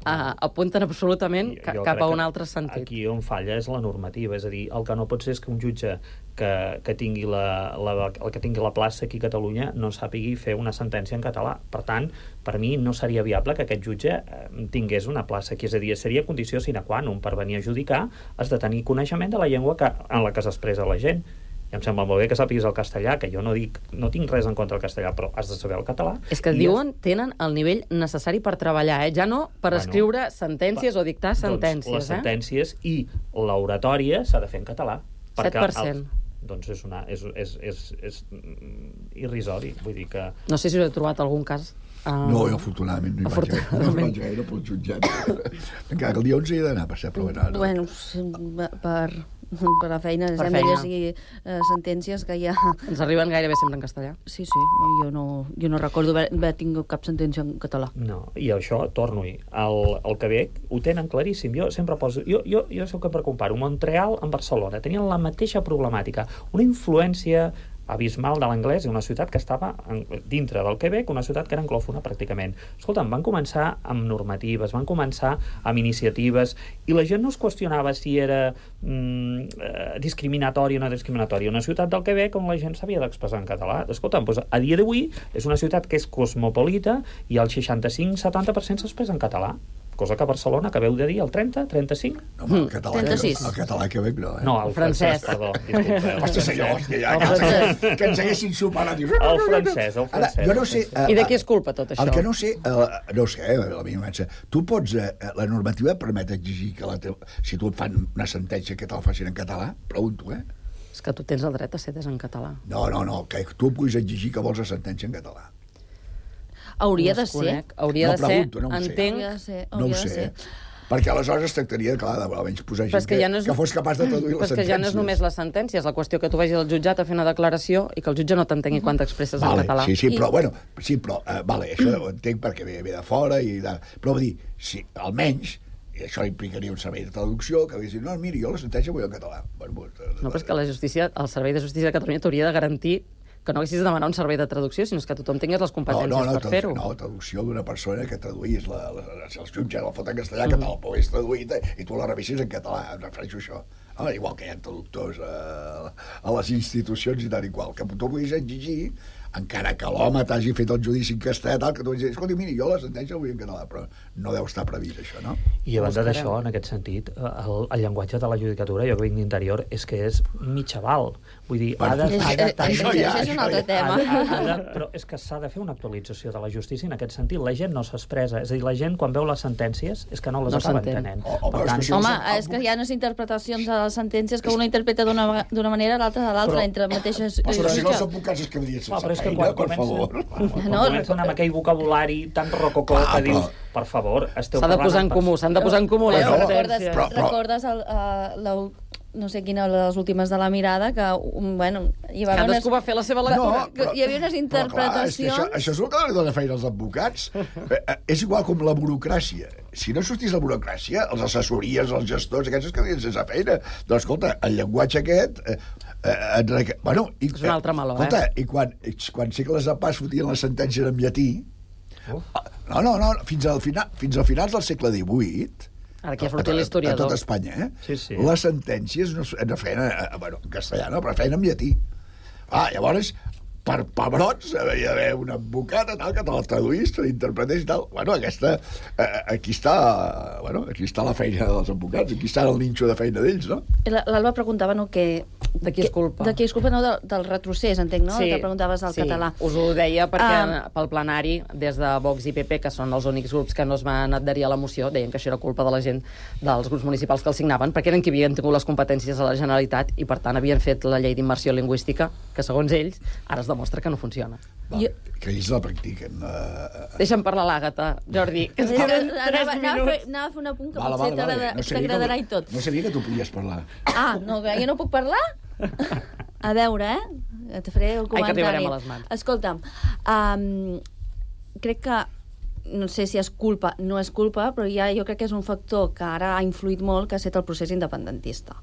F: uh, apunten absolutament ca cap a un altre sentit.
I: Aquí on falla és la normativa, és a dir, el que no pot ser és que un jutge que, que, tingui, la, la, el que tingui la plaça aquí a Catalunya no sàpigui fer una sentència en català. Per tant, per mi no seria viable que aquest jutge eh, tingués una plaça aquí, és a dir, seria condició sine qua non per venir a judicar, has de tenir coneixement de la llengua que, en la que s'expressa la gent. I em sembla molt bé que sàpiguis el castellà, que jo no dic, no tinc res en contra del castellà, però has de saber el català.
F: És que diuen, es... tenen el nivell necessari per treballar, eh? Ja no per bueno, escriure sentències o dictar sentències.
I: Doncs les
F: eh?
I: sentències i l'oratòria s'ha de fer en català.
F: set per cent.
I: El... doncs és, una, és, és, és, és irrisori. Vull dir que...
F: No sé si us he trobat algun cas. Uh...
G: No, jo afortunadament no hi vaig gaire, no vaig gaire pel jutjat. Encara que el dia onze hi he d'anar a passar, però bueno, no.
H: Bueno, per, per la feina,
F: per
H: hem
F: feina.
H: de llegir uh, sentències que ja...
F: Ens arriben gairebé sempre en castellà.
H: Sí, sí, jo no, jo no recordo haver, haver tingut cap sentència en català.
I: No, i això, torno-hi, el, el Quebec ho tenen claríssim. Jo sempre poso... Jo, jo, jo sé que per comparar Montreal amb Barcelona tenien la mateixa problemàtica, una influència abismal de l'anglès i una ciutat que estava en, dintre del Quebec, una ciutat que era anglòfona pràcticament. Escolta'm, van començar amb normatives, van començar amb iniciatives i la gent no es qüestionava si era mm, eh, discriminatori o no discriminatori. Una ciutat del Quebec on la gent s'havia d'expressar en català. Escolta'm, doncs, a dia d'avui és una ciutat que és cosmopolita i el seixanta-cinc a setanta per cent s'expressa en català. Cosa que a Barcelona acabeu de dir el trenta, trenta-cinc?
G: No, home, el català,
H: trenta-sis.
G: El català Quebec no, eh?
I: No, el francès,
F: francès.
I: perdó. Disculpeu.
G: Hòstia, senyor, hòstia, ja,
F: El
G: ja,
F: francès.
G: que ens haguessin superat. Dius,
I: El francès, el francès.
G: Ara, jo no sé... Uh,
F: I de qui és culpa tot això?
G: El que no sé, uh, no ho sé, eh, la meva imatge, tu pots, uh, la normativa permet exigir que la teva, si tu et fan una sentència que te la facin en català, pregunto, eh?
F: És que tu tens el dret a ser des en català.
G: No, no, no, que tu puguis exigir que vols la sentència en català.
H: Hauria
F: No
H: de
F: es
H: ser.
F: conec. Hauria
G: No
F: de ser,
G: pregunto, no ho sé.
F: entenc...
H: Hauria de ser.
G: No ho
H: Hauria de
G: sé,
H: ser.
G: perquè aleshores es tractaria, clar, de almenys posar
F: Però és
G: gent
F: que
G: que,
F: ja no és-
G: que fos capaç de traduir
F: Però
G: les
F: és que
G: sentències.
F: ja no és només les sentències, la qüestió que tu vagis al jutjat a fer una declaració i que el jutge no t'entengui quan t'expresses en
G: Vale,
F: català.
G: sí, sí,
H: I-
G: però, bueno, sí, però, uh, vale, això ho entenc perquè ve, ve de fora, i de, però vull dir, si, almenys, i això implicaria un servei de traducció, que hagués dit, no, miri, jo la sentència vull en català. Bueno, pues,
F: No, però és que la justícia, el Servei de Justícia de Catalunya t'hauria de garantir que no haguessis de demanar un servei de traducció, sinó que tothom tingués les
G: no,
F: competències
G: no, no,
F: per
G: tradu-
F: fer-ho.
G: no, traducció d'una persona que traduís la, la, si els jutges la foten en castellà, que te'l pogués traduït i tu la revisis en català, em refereixo a això. Home, igual que hi ha traductors a, a les institucions i tal i qual, que tu puguis exigir, encara que l'home t'hagi fet el judici en castellà, tal, que tu vagis dir, escolta, miri, jo la sentència la vull en català, però no deu estar previst això, no?
I: I a banda
F: Buscarem.
I: d'això, en aquest sentit, el, el llenguatge de la judicatura, jo que vinc d'interior, és que és mitjaval. Vull dir, ha de...
H: És,
I: Ha de,
H: és, és,
G: això ja,
H: és un
G: això
H: altre
G: ja.
H: tema.
I: ha de, ha de, però és que s'ha de fer una actualització de la justícia en aquest sentit. La gent no s'expressa. És a dir, la gent, quan veu les sentències, és que no les
F: No
I: acaba
F: s'entén.
I: entenent.
G: O- o
I: Per
G: veus
I: tant,
G: que si
H: Home,
G: el-
H: és que hi ha unes interpretacions de les sentències que una interpreta d'una d'una manera, l'altra de l'altra,
I: Però-
H: entre mateixes...
G: Però si no,
H: jutge.
G: els advocats es quedarien
I: Clar,
G: sense
I: però és que
G: feina,
I: quan
G: per
I: comencen,
G: favor.
I: quan, quan
H: No,
I: comencen amb aquell vocabulari tan rococó
G: Clar,
I: que dius,
G: però-
I: per favor, esteu
F: S'ha de
I: parlant
F: posar en
I: amb
F: comú,
I: pers-
F: s'han de posar en comú les
G: Però-
H: recordes,
F: sentències.
G: però-
H: recordes el, uh, la, no sé quina de les últimes de la mirada, que, um, bueno, hi va haver unes...
F: Cadascú va fer la seva
G: No,
F: lectura.
H: que hi havia unes interpretacions...
G: Però, clar, és que això, això és el que li dona feina als advocats. Eh, eh, és igual com la burocràcia. Si no sortís la burocràcia, els assessories, els gestors, aquests es quedarien sense feina. Doncs, escolta, el llenguatge aquest... Eh, eh, et reca... bueno, i,
F: És un altre meló,
G: escolta,
F: eh?
G: i quan, i quan segles de pas fotien les sentències en llatí...
I: Uf.
G: No, no, no, fins al final, fins al finals del segle divuit...
F: Ara aquí ha
G: a,
F: sortit
G: a, a
F: l'historiador.
G: tot Espanya, eh?
I: Sí, sí.
G: Les sentències no, es- no feien, eh, bueno, en castellà, no, però feien en llatí. Ah, llavors, per pebrots, havia d'haver un advocat tal, que te la traduís, te l'interpretés i tal. Bueno, aquesta... Eh, aquí està... Bueno, aquí està la feina dels advocats, aquí està el ninxo de feina d'ells, no?
H: L'Alba preguntava, no, que...
F: De qui és culpa?
H: De qui és culpa, no, del, del retrocés, entenc, no? Sí, que preguntaves al
F: sí.
H: català.
F: Us ho deia perquè
H: Ah.
F: pel plenari, des de Vox i P P, que són els únics grups que no es van adherir a la moció, deien que això era culpa de la gent dels grups municipals que el signaven, perquè eren qui havien tingut les competències a la Generalitat i, per tant, havien fet la llei d'immersió lingüística, que, segons ells, ara es demostra que no funciona.
G: Va,
H: Jo-
G: que ells la practiquen. Eh,
F: Deixa'm parlar l'Àgata, Jordi, que ens
H: Anava,
F: queden tres
H: anava, anava, a fer,
F: minuts.
H: anava a fer un apunt que
G: vale,
H: potser
G: vale, vale.
H: t'agrada-
G: No sabia
H: t'agradarà
G: que,
H: i tot.
G: no sabia que tu podies parlar.
H: Ah, no, que jo no puc parlar? A veure, eh? Et faré el
F: Ai, que
H: comentari.
F: arribarem a les mans.
H: Escolta'm, um, crec que no sé si és culpa, no és culpa, però ja jo crec que és un factor que ara ha influït molt, que ha estat el procés independentista.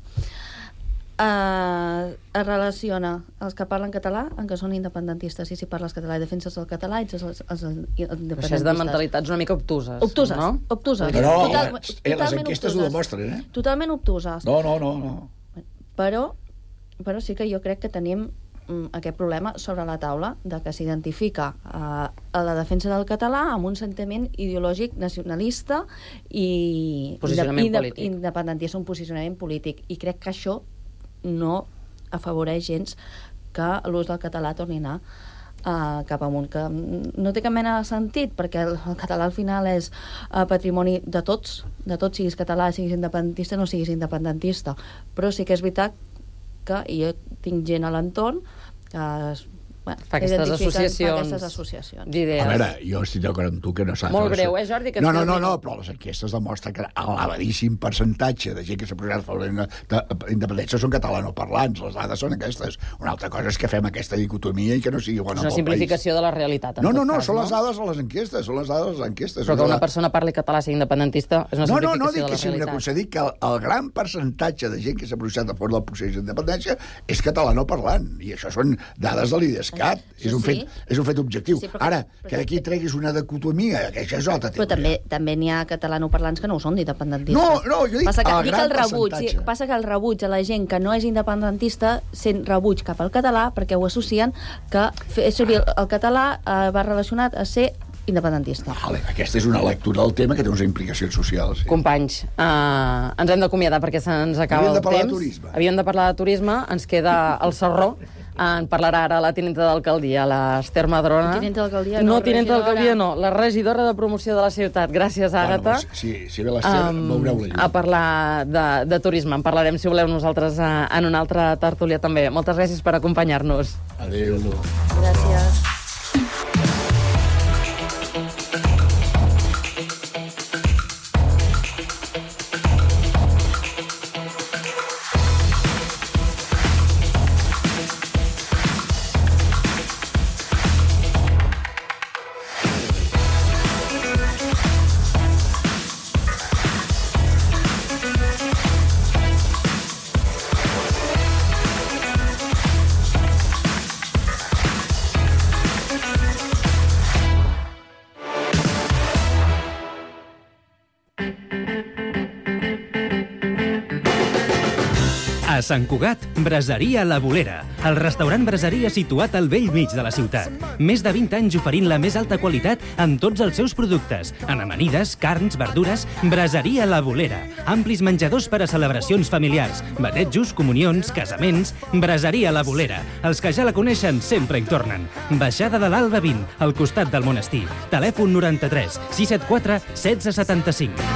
H: Uh, es relaciona els que parlen català en que són independentistes, i si parles català i defenses el català, ets els, els, els independentistes.
F: Això és de mentalitats una mica obtuses,
H: Obtuses,
F: no?
H: obtuses.
G: No, no,
H: Total-
G: les, eh, les
H: totalment
G: enquestes ho
H: obtuses.
G: demostren, eh?
H: Totalment obtuses.
G: No, no, no, no.
H: Però, però sí que jo crec que tenim mm, aquest problema sobre la taula de que s'identifica eh, a la defensa del català amb un sentiment ideològic nacionalista i
F: Posicionament
H: inde-
F: polític.
H: independentista, un posicionament polític, i crec que això no afavoreix gens que l'ús del català torni a anar uh, cap amunt, que no té cap mena de sentit, perquè el, el català al final és uh, patrimoni de tots, de tots, siguis català, siguis independentista, no siguis independentista, però sí que és veritat que jo tinc gent a l'entorn que es Bueno,
F: fa aquestes associacions,
H: aquestes associacions
F: d'idees.
G: A veure, jo estic d'acord amb tu que no s'ha de
F: Molt
G: fer...
F: greu, eh, Jordi? Que
G: no, no, no, no, però les enquestes demostren que l'elevadíssim percentatge de gent que s'ha posat a favor d'independència són catalanoparlants. Les dades són aquestes. Una altra cosa és que fem aquesta dicotomia i que no sigui bona pel país.
F: És una simplificació de la realitat.
G: No, no, no, són les dades a les enquestes, són les dades a les enquestes.
F: Però que una persona parli català sigui independentista és una simplificació de la realitat.
G: No, no, no, dic que sigui una cosa, dic que el, el gran percentatge de gent que s'ha pronunciat a favor del procés d'independència és catalanoparlant, i això són dades de l'IDESCAT. És un fet Sí. és un fet objectiu. Sí, Ara, que, que d'aquí treguis una dicotomia, que això és altra
H: Però també també n'hi ha catalanoparlants que no ho són d'independentistes.
G: No, no, jo dic
H: passa que,
G: el
H: dic
G: gran
H: el rebuig,
G: percentatge.
H: Passa que el rebuig a la gent que no és independentista sent rebuig cap al català perquè ho associen que fer servir el català eh, va relacionat a ser independentista.
G: Vale, aquesta és una lectura del tema que té unes implicacions socials. Sí.
F: Companys, uh, ens hem d'acomiadar perquè se'ns acaba
G: Havíem
F: el
G: de parlar
F: temps.
G: de turisme.
F: Havíem de parlar de turisme, ens queda el Sarró. En parlarà ara la tinenta d'alcaldia, l'Ester Madrona.
H: Tinenta d'alcaldia,
F: no.
H: no,
F: tinenta
H: regidora.
F: d'alcaldia, no. La regidora de promoció de la ciutat. Gràcies, Àgata.
G: Bueno, si, si ve l'Ester, um, veureu la llum.
F: A parlar de, de turisme. En parlarem, si voleu, nosaltres uh, en una altra tertúlia també. Moltes gràcies per acompanyar-nos.
G: Adéu.
H: Gràcies.
J: A Sant Cugat, Braseria La Bolera, el restaurant braseria situat al vell mig de la ciutat. Més de vint anys oferint la més alta qualitat en tots els seus productes, en amanides, carns, verdures. Braseria La Bolera, amplis menjadors per a celebracions familiars, batejos, comunions, casaments. Braseria La Bolera, els que ja la coneixen sempre hi tornen. Baixada de l'Alba vint, al costat del monestir. Telèfon noranta-tres sis set quatre setze setanta-cinc.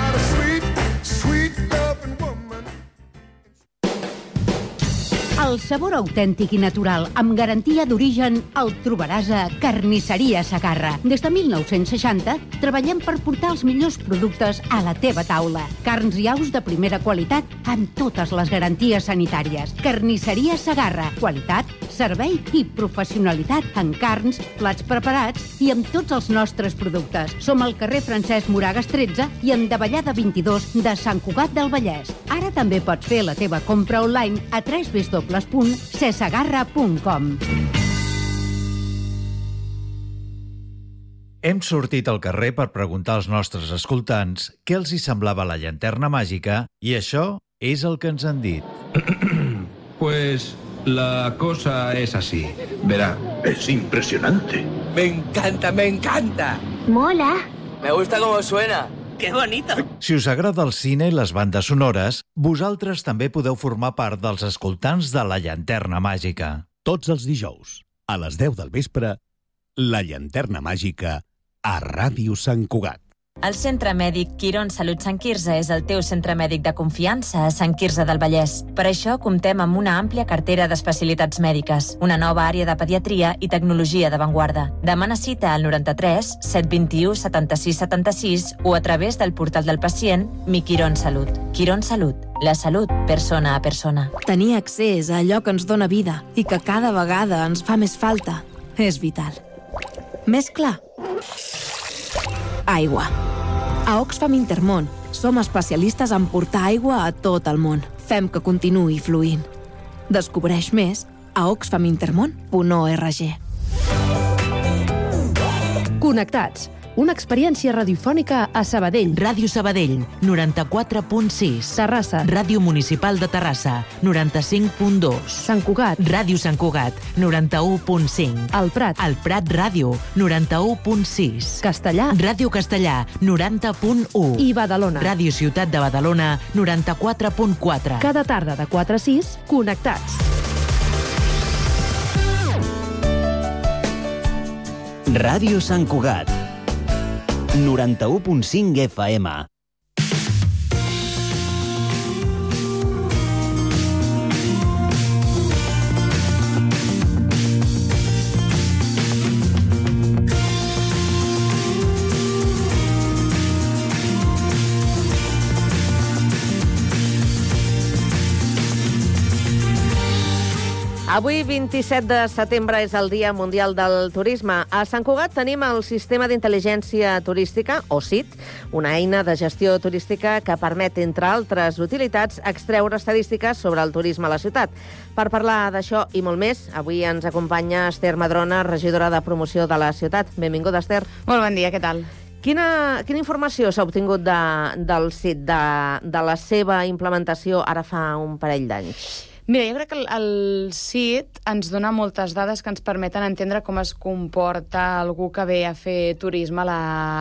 K: El sabor autèntic i natural, amb garantia d'origen, el trobaràs a Carnisseria Segarra. Des de mil nou-cents seixanta, treballem per portar els millors productes a la teva taula. Carns i aus de primera qualitat, amb totes les garanties sanitàries. Carnisseria Segarra. Qualitat, servei i professionalitat en carns, plats preparats i amb tots els nostres productes. Som al carrer Francesc Moragas tretze i en Davallada vint-i-dos de Sant Cugat del Vallès. Ara també pots fer la teva compra online a w w w punt cesegarra punt com.
L: Hem sortit al carrer per preguntar als nostres escoltants què els hi semblava la llanterna màgica i això és el que ens han dit.
M: Pues la cosa es así. Verá, es impresionante.
N: Me encanta, me encanta.
O: Mola.
N: Me gusta cómo suena. ¡Qué bonito!
L: Si us agrada el cine i les bandes sonores, vosaltres també podeu formar part dels escoltants de La Llanterna Màgica.
P: Tots els dijous, a les deu del vespre, La Llanterna Màgica a Ràdio Sant Cugat.
Q: El Centre Mèdic Quirón Salut Sant Quirze és el teu centre mèdic de confiança a Sant Quirze del Vallès. Per això comptem amb una àmplia cartera d'especialitats mèdiques, una nova àrea de pediatria i tecnologia d'avantguarda. Demana cita al noranta-tres set vint-i-u setanta-sis setanta-sis o a través del portal del pacient Mi Quirón Salut. Quirón Salut, la salut persona a persona.
R: Tenir accés a allò que ens dóna vida i que cada vegada ens fa més falta és vital. Més clar? Aigua. A Oxfam Intermón som especialistes en portar aigua a tot el món. Fem que continuï fluint. Descobreix més a oxfam intermón punt org.
S: Connectats. Una experiència radiofònica a Sabadell.
T: Ràdio Sabadell, noranta-quatre punt sis.
S: Terrassa.
T: Ràdio Municipal de Terrassa, noranta-cinc punt dos.
S: Sant Cugat.
T: Ràdio Sant Cugat, noranta-u punt cinc.
S: El Prat.
T: El Prat Ràdio, noranta-u punt sis.
S: Castellà.
T: Ràdio Castellà, noranta punt u.
S: I Badalona.
T: Ràdio Ciutat de Badalona, noranta-quatre punt quatre.
S: Cada tarda de quatre a sis, connectats.
C: Ràdio Sant Cugat. noranta-u punt cinc F M.
D: Avui, vint-i-set de setembre, és el Dia Mundial del Turisme. A Sant Cugat tenim el Sistema d'Intel·ligència Turística, o S I T, una eina de gestió turística que permet, entre altres utilitats, extreure estadístiques sobre el turisme a la ciutat. Per parlar d'això i molt més, avui ens acompanya Esther Madrona, regidora de promoció de la ciutat. Benvinguda, Esther.
O: Molt bon dia, què tal?
D: Quina, quina informació s'ha obtingut de, del S I T, de, de la seva implementació ara fa un parell d'anys?
O: Mira, jo crec que el, el S I T ens dona moltes dades que ens permeten entendre com es comporta algú que ve a fer turisme a la,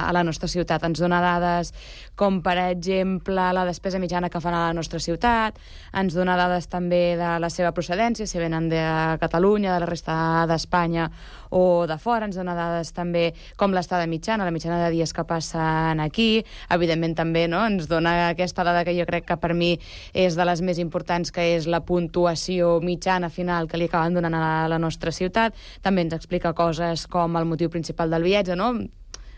O: a la nostra ciutat. Ens dona dades com, per exemple, la despesa mitjana que fan a la nostra ciutat, ens dona dades també de la seva procedència, si venen de Catalunya, de la resta d'Espanya o de fora, ens dona dades també com l'estada mitjana, la mitjana de dies que passen aquí, evidentment també, no?, ens dona aquesta dada que jo crec que per mi és de les més importants, que és la puntuació mitjana final que li acaben donant a la nostra ciutat. També ens explica coses com el motiu principal del viatge, no?,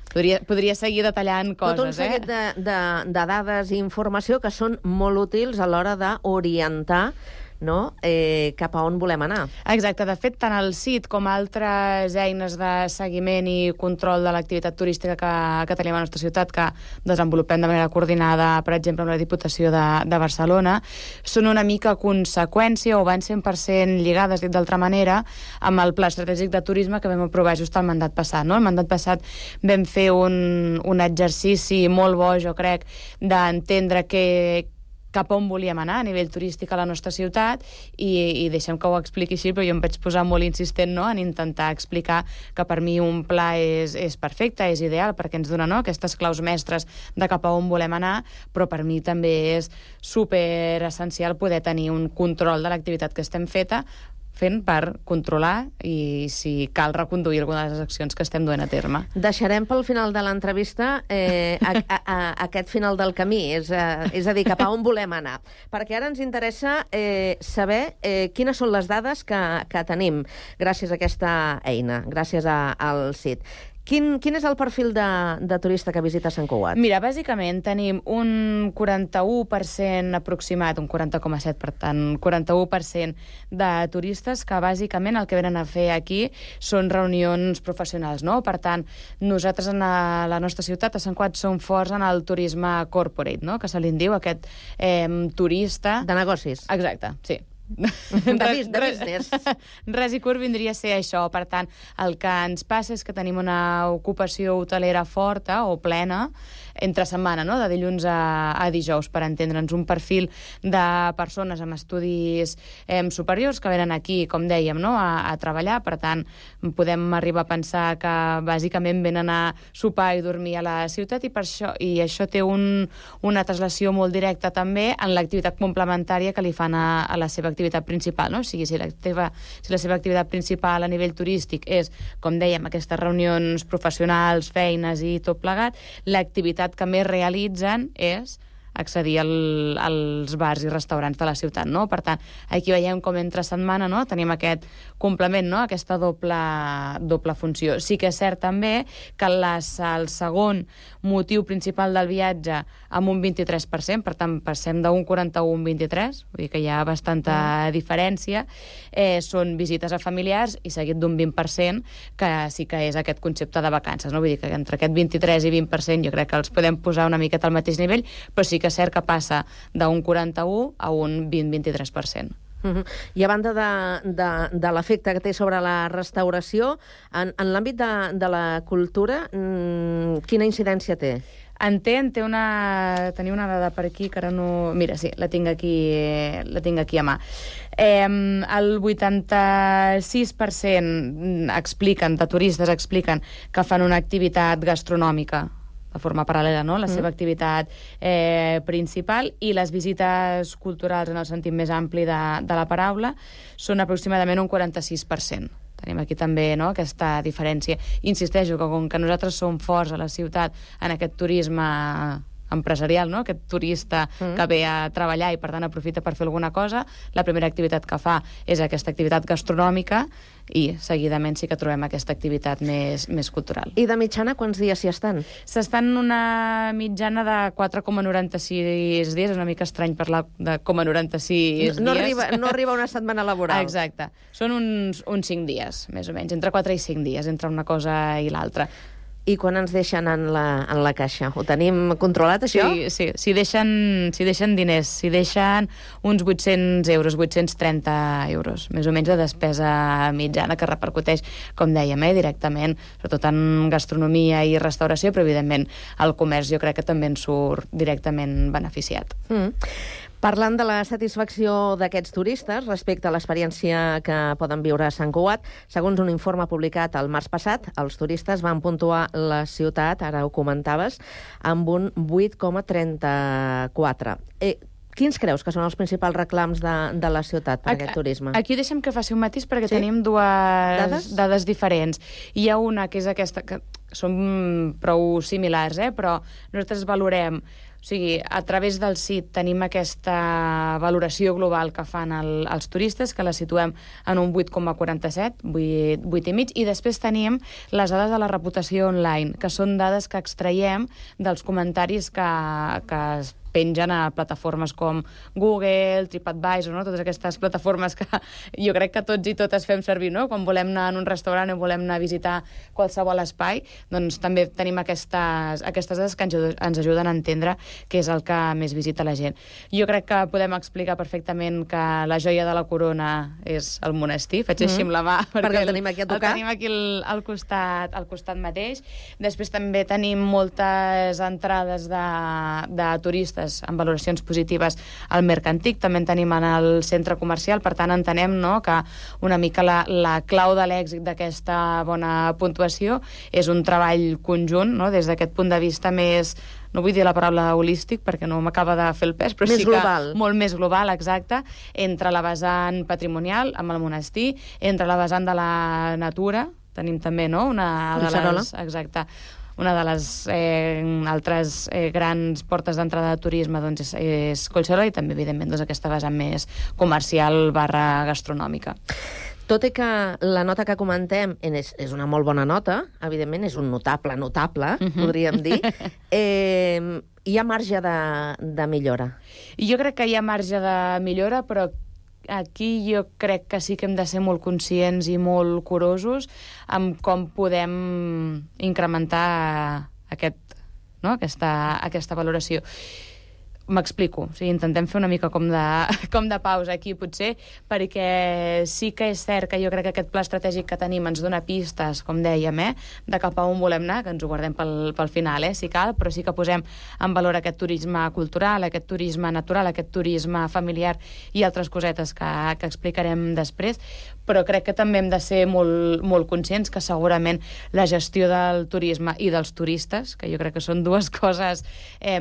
O: Podria, podria seguir detallant coses,
D: Tot un seguit
O: eh?
D: de, de, de dades i informació que són molt útils a l'hora d'orientar, no?, eh, cap a on volem anar.
O: Exacte. De fet, tant el S I T com altres eines de seguiment i control de l'activitat turística que, que tenim a la nostra ciutat, que desenvolupem de manera coordinada, per exemple, amb la Diputació de, de Barcelona, són una mica conseqüència o van cent per cent lligades, dit d'altra manera, amb el Pla Estratègic de Turisme que vam aprovar just el mandat passat. No? El mandat passat vam fer un, un exercici molt bo, jo crec, d'entendre que cap on volíem anar a nivell turístic a la nostra ciutat i, i deixem que ho expliqui així, però jo em vaig posar molt insistent, no?, en intentar explicar que per mi un pla és, és perfecte, és ideal, perquè ens dona, no?, aquestes claus mestres de cap a on volem anar, però per mi també és super essencial poder tenir un control de l'activitat que estem feta, fent per controlar i, si cal, reconduir alguna de les accions que estem duent a terme.
D: Deixarem pel final de l'entrevista eh, a, a, a, aquest final del camí, és a, és a dir, cap a on volem anar. Perquè ara ens interessa eh, saber eh, quines són les dades que, que tenim gràcies a aquesta eina, gràcies a, al S I T. Quin, quin és el perfil de, de turista que visita Sant Cugat?
O: Mira, bàsicament tenim un quaranta-u per cent aproximat, un quaranta coma set, per tant, quaranta-u per cent de turistes que bàsicament el que venen a fer aquí són reunions professionals, no? Per tant, nosaltres en la, la nostra ciutat, a Sant Cugat, som forts en el turisme corporate, no?, que se li en diu aquest eh, turista...
D: De negocis.
O: Exacte, sí.
D: De, res, de business.
O: Res i curt vindria a ser això. Per tant, el que ens passa és que tenim una ocupació hotelera forta o plena entre setmana, no?, de dilluns a, a dijous, per entendre'ns, un perfil de persones amb estudis eh, superiors que venen aquí, com dèiem, no?, a, a treballar. Per tant, podem arribar a pensar que bàsicament venen a sopar i dormir a la ciutat, i per això, i això té un, una translació molt directa també en l'activitat complementària que li fan a, a la seva activitat principal, no? O sigui, si la, teva, si la seva activitat principal a nivell turístic és, com dèiem, aquestes reunions professionals, feines i tot plegat, l'activitat que més realitzen és accedir al, als bars i restaurants de la ciutat, no? Per tant, aquí veiem com entre setmana, no?, tenim aquest complement, no?, aquesta doble, doble funció. Sí que és cert també que les, el segon motiu principal del viatge amb un vint-i-tres per cent, per tant, passem d'un quaranta-u a un vint-i-tres, vull dir que hi ha bastanta mm. diferència, eh, són visites a familiars i seguit d'un vint per cent, que sí que és aquest concepte de vacances, no? Vull dir que entre aquest vint-i-tres i vint per cent jo crec que els podem posar una miqueta al mateix nivell, però sí que és cert que passa d'un quaranta-u a un vint a vint-i-tres per cent.
D: Uh-huh. I a banda de, de, de l'efecte que té sobre la restauració, en, en l'àmbit de, de la cultura, mmm, quina incidència té?
O: En té, en té una... Tenia una dada per aquí que ara no... Mira, sí, la tinc aquí, la tinc aquí a mà. Eh, el vuitanta-sis per cent expliquen, de turistes expliquen que fan una activitat gastronòmica de forma paral·lela, no?, la mm. seva activitat eh, principal, i les visites culturals en el sentit més ampli de, de la paraula són aproximadament un quaranta-sis per cent. Tenim aquí també, no?, aquesta diferència. Insisteixo que com que nosaltres som forts a la ciutat en aquest turisme empresarial, no? Aquest turista mm. que ve a treballar i per tant aprofita per fer alguna cosa, la primera activitat que fa és aquesta activitat gastronòmica i seguidament sí que trobem aquesta activitat més, més cultural.
D: I de mitjana quants dies s'hi estan?
O: S'estan una mitjana de quatre coma noranta-sis dies, és una mica estrany parlar de coma noranta-sis
D: no, no
O: dies.
D: Arriba, no arriba una setmana laboral.
O: Exacte. Són uns, uns cinc dies, més o menys, entre quatre i cinc dies, entre una cosa i l'altra.
D: I quan ens deixen en la, en la caixa? Ho tenim controlat, això?
O: Sí, sí. S'hi deixen, s'hi deixen diners. S'hi deixen uns vuit-cents euros, vuit-cents trenta euros, més o menys de despesa mitjana, que repercuteix, com dèiem, eh, directament, sobretot en gastronomia i restauració, però, evidentment, el comerç jo crec que també en surt directament beneficiat.
D: Mm. Parlant de la satisfacció d'aquests turistes respecte a l'experiència que poden viure a Sant Cugat, segons un informe publicat el març passat, els turistes van puntuar la ciutat, ara ho comentaves, amb un vuit coma trenta-quatre. Eh, Quins creus que són els principals reclams de, de la ciutat per a aquest turisme?
O: Aquí deixem que faci un matís perquè sí? tenim dues
D: dades?
O: dades diferents. Hi ha una que és aquesta, que són prou similars, eh? Però nosaltres valorem, o sigui, a través del S I T tenim aquesta valoració global que fan el, els turistes, que la situem en un vuit coma quaranta-set, vuit, vuit i mig, i després tenim les dades de la reputació online, que són dades que extraiem dels comentaris que, que es pengen a plataformes com Google, TripAdvisor, no? Totes aquestes plataformes que jo crec que tots i totes fem servir, no? Quan volem anar en un restaurant o volem anar a visitar qualsevol espai, doncs també tenim aquestes, aquestes dades que ens, ens ajuden a entendre què és el que més visita la gent. Jo crec que podem explicar perfectament que la joia de la corona és el monestir, faig així amb la mà,
D: perquè, perquè el tenim aquí a tocar.
O: El tenim aquí al, al, costat, al costat mateix. Després també tenim moltes entrades de, de turistes amb valoracions positives al Mercantic, també en tenim en el centre comercial, per tant entenem, no, que una mica la, la clau de l'èxit d'aquesta bona puntuació és un treball conjunt, no, des d'aquest punt de vista més, no vull dir la paraula holístic perquè no m'acaba de fer el pes, però
D: més
O: sí que
D: global.
O: Molt més global, exacte, entre la vessant patrimonial amb el monestir, entre la vessant de la natura, tenim també, no, una de les... Exacte. Una de les eh, altres eh, grans portes d'entrada de turisme doncs, és, és Collserola i també, evidentment, doncs, aquesta vessant més comercial barra gastronòmica.
D: Tot i que la nota que comentem és, és una molt bona nota, evidentment és un notable, notable, uh-huh. podríem dir, eh, hi ha marge de, de millora?
O: Jo crec que hi ha marge de millora, però aquí jo crec que sí que hem de ser molt conscients i molt curosos amb com podem incrementar aquest, no? aquesta, aquesta valoració. M'explico, o sigui, intentem fer una mica com de, com de pausa aquí, potser, perquè sí que és cert que jo crec que aquest pla estratègic que tenim ens dona pistes, com dèiem, eh, de cap a on volem anar, que ens ho guardem pel, pel final, eh, si cal, però sí que posem en valor aquest turisme cultural, aquest turisme natural, aquest turisme familiar i altres cosetes que, que explicarem després, però crec que també hem de ser molt, molt conscients que segurament la gestió del turisme i dels turistes, que jo crec que són dues coses eh,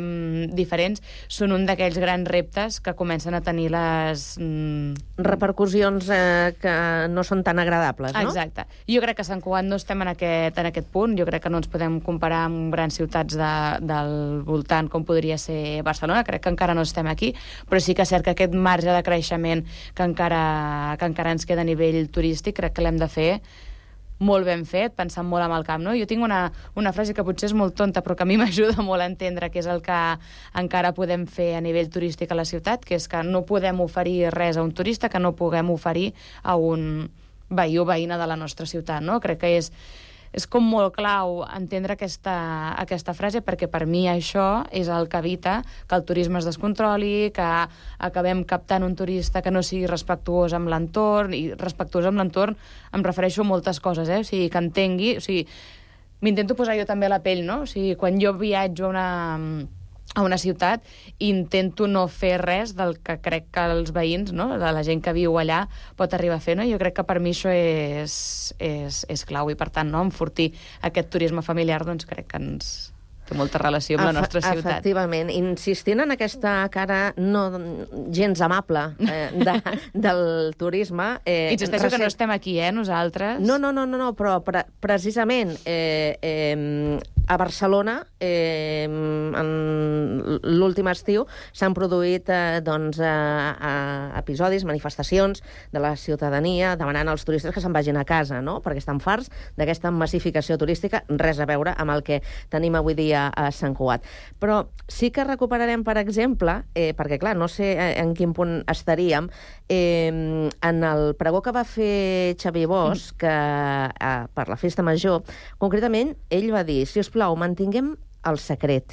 O: diferents, són un d'aquells grans reptes que comencen a tenir les... Mm...
D: repercussions eh, que no són tan agradables, no?
O: Exacte. Jo crec que a Sant Cugat no estem en aquest, en aquest punt. Jo crec que no ens podem comparar amb grans ciutats de, del voltant com podria ser Barcelona. Crec que encara no estem aquí, però sí que és cert que aquest marge de creixement que encara, que encara ens queda a nivell turístic crec que l'hem de fer molt ben fet, pensant molt amb el camp, no? Jo tinc una, una frase que potser és molt tonta, però que a mi m'ajuda molt a entendre què és el que encara podem fer a nivell turístic a la ciutat, que és que no podem oferir res a un turista que no puguem oferir a un veí o veïna de la nostra ciutat, no? Crec que és, és com molt clau entendre aquesta, aquesta frase, perquè per mi això és el que evita que el turisme es descontroli, que acabem captant un turista que no sigui respectuós amb l'entorn, i respectuós amb l'entorn em refereixo a moltes coses, eh? O sigui, que entengui, o sigui, m'intento posar jo també a la pell, no? O sigui, quan jo viatjo a una... a una ciutat, intento no fer res del que crec que els veïns, no? De la gent que viu allà, pot arribar a fer, no? Jo crec que per mi això és, és, és clau, i per tant, no? Enfortir aquest turisme familiar, doncs crec que ens té molta relació amb la nostra ciutat.
D: Efectivament. Insistint en aquesta cara no gens amable eh, de, del turisme...
O: Eh, Insisteixo recent... que no estem aquí, eh, nosaltres.
D: No, no, no, no, no però pre precisament eh, eh, a Barcelona, eh, en l'últim estiu s'han produït eh, doncs, eh, eh, episodis, manifestacions de la ciutadania demanant als turistes que se'n vagin a casa, no? Perquè estan farts d'aquesta massificació turística, res a veure amb el que tenim avui dia a Sant Cugat. Però sí que recuperarem, per exemple, eh, perquè clar, no sé en quin punt estaríem, eh, en el pregó que va fer Xavier Bosch, que eh, per la festa major, concretament, ell va dir, si us plau, mantinguem el secret.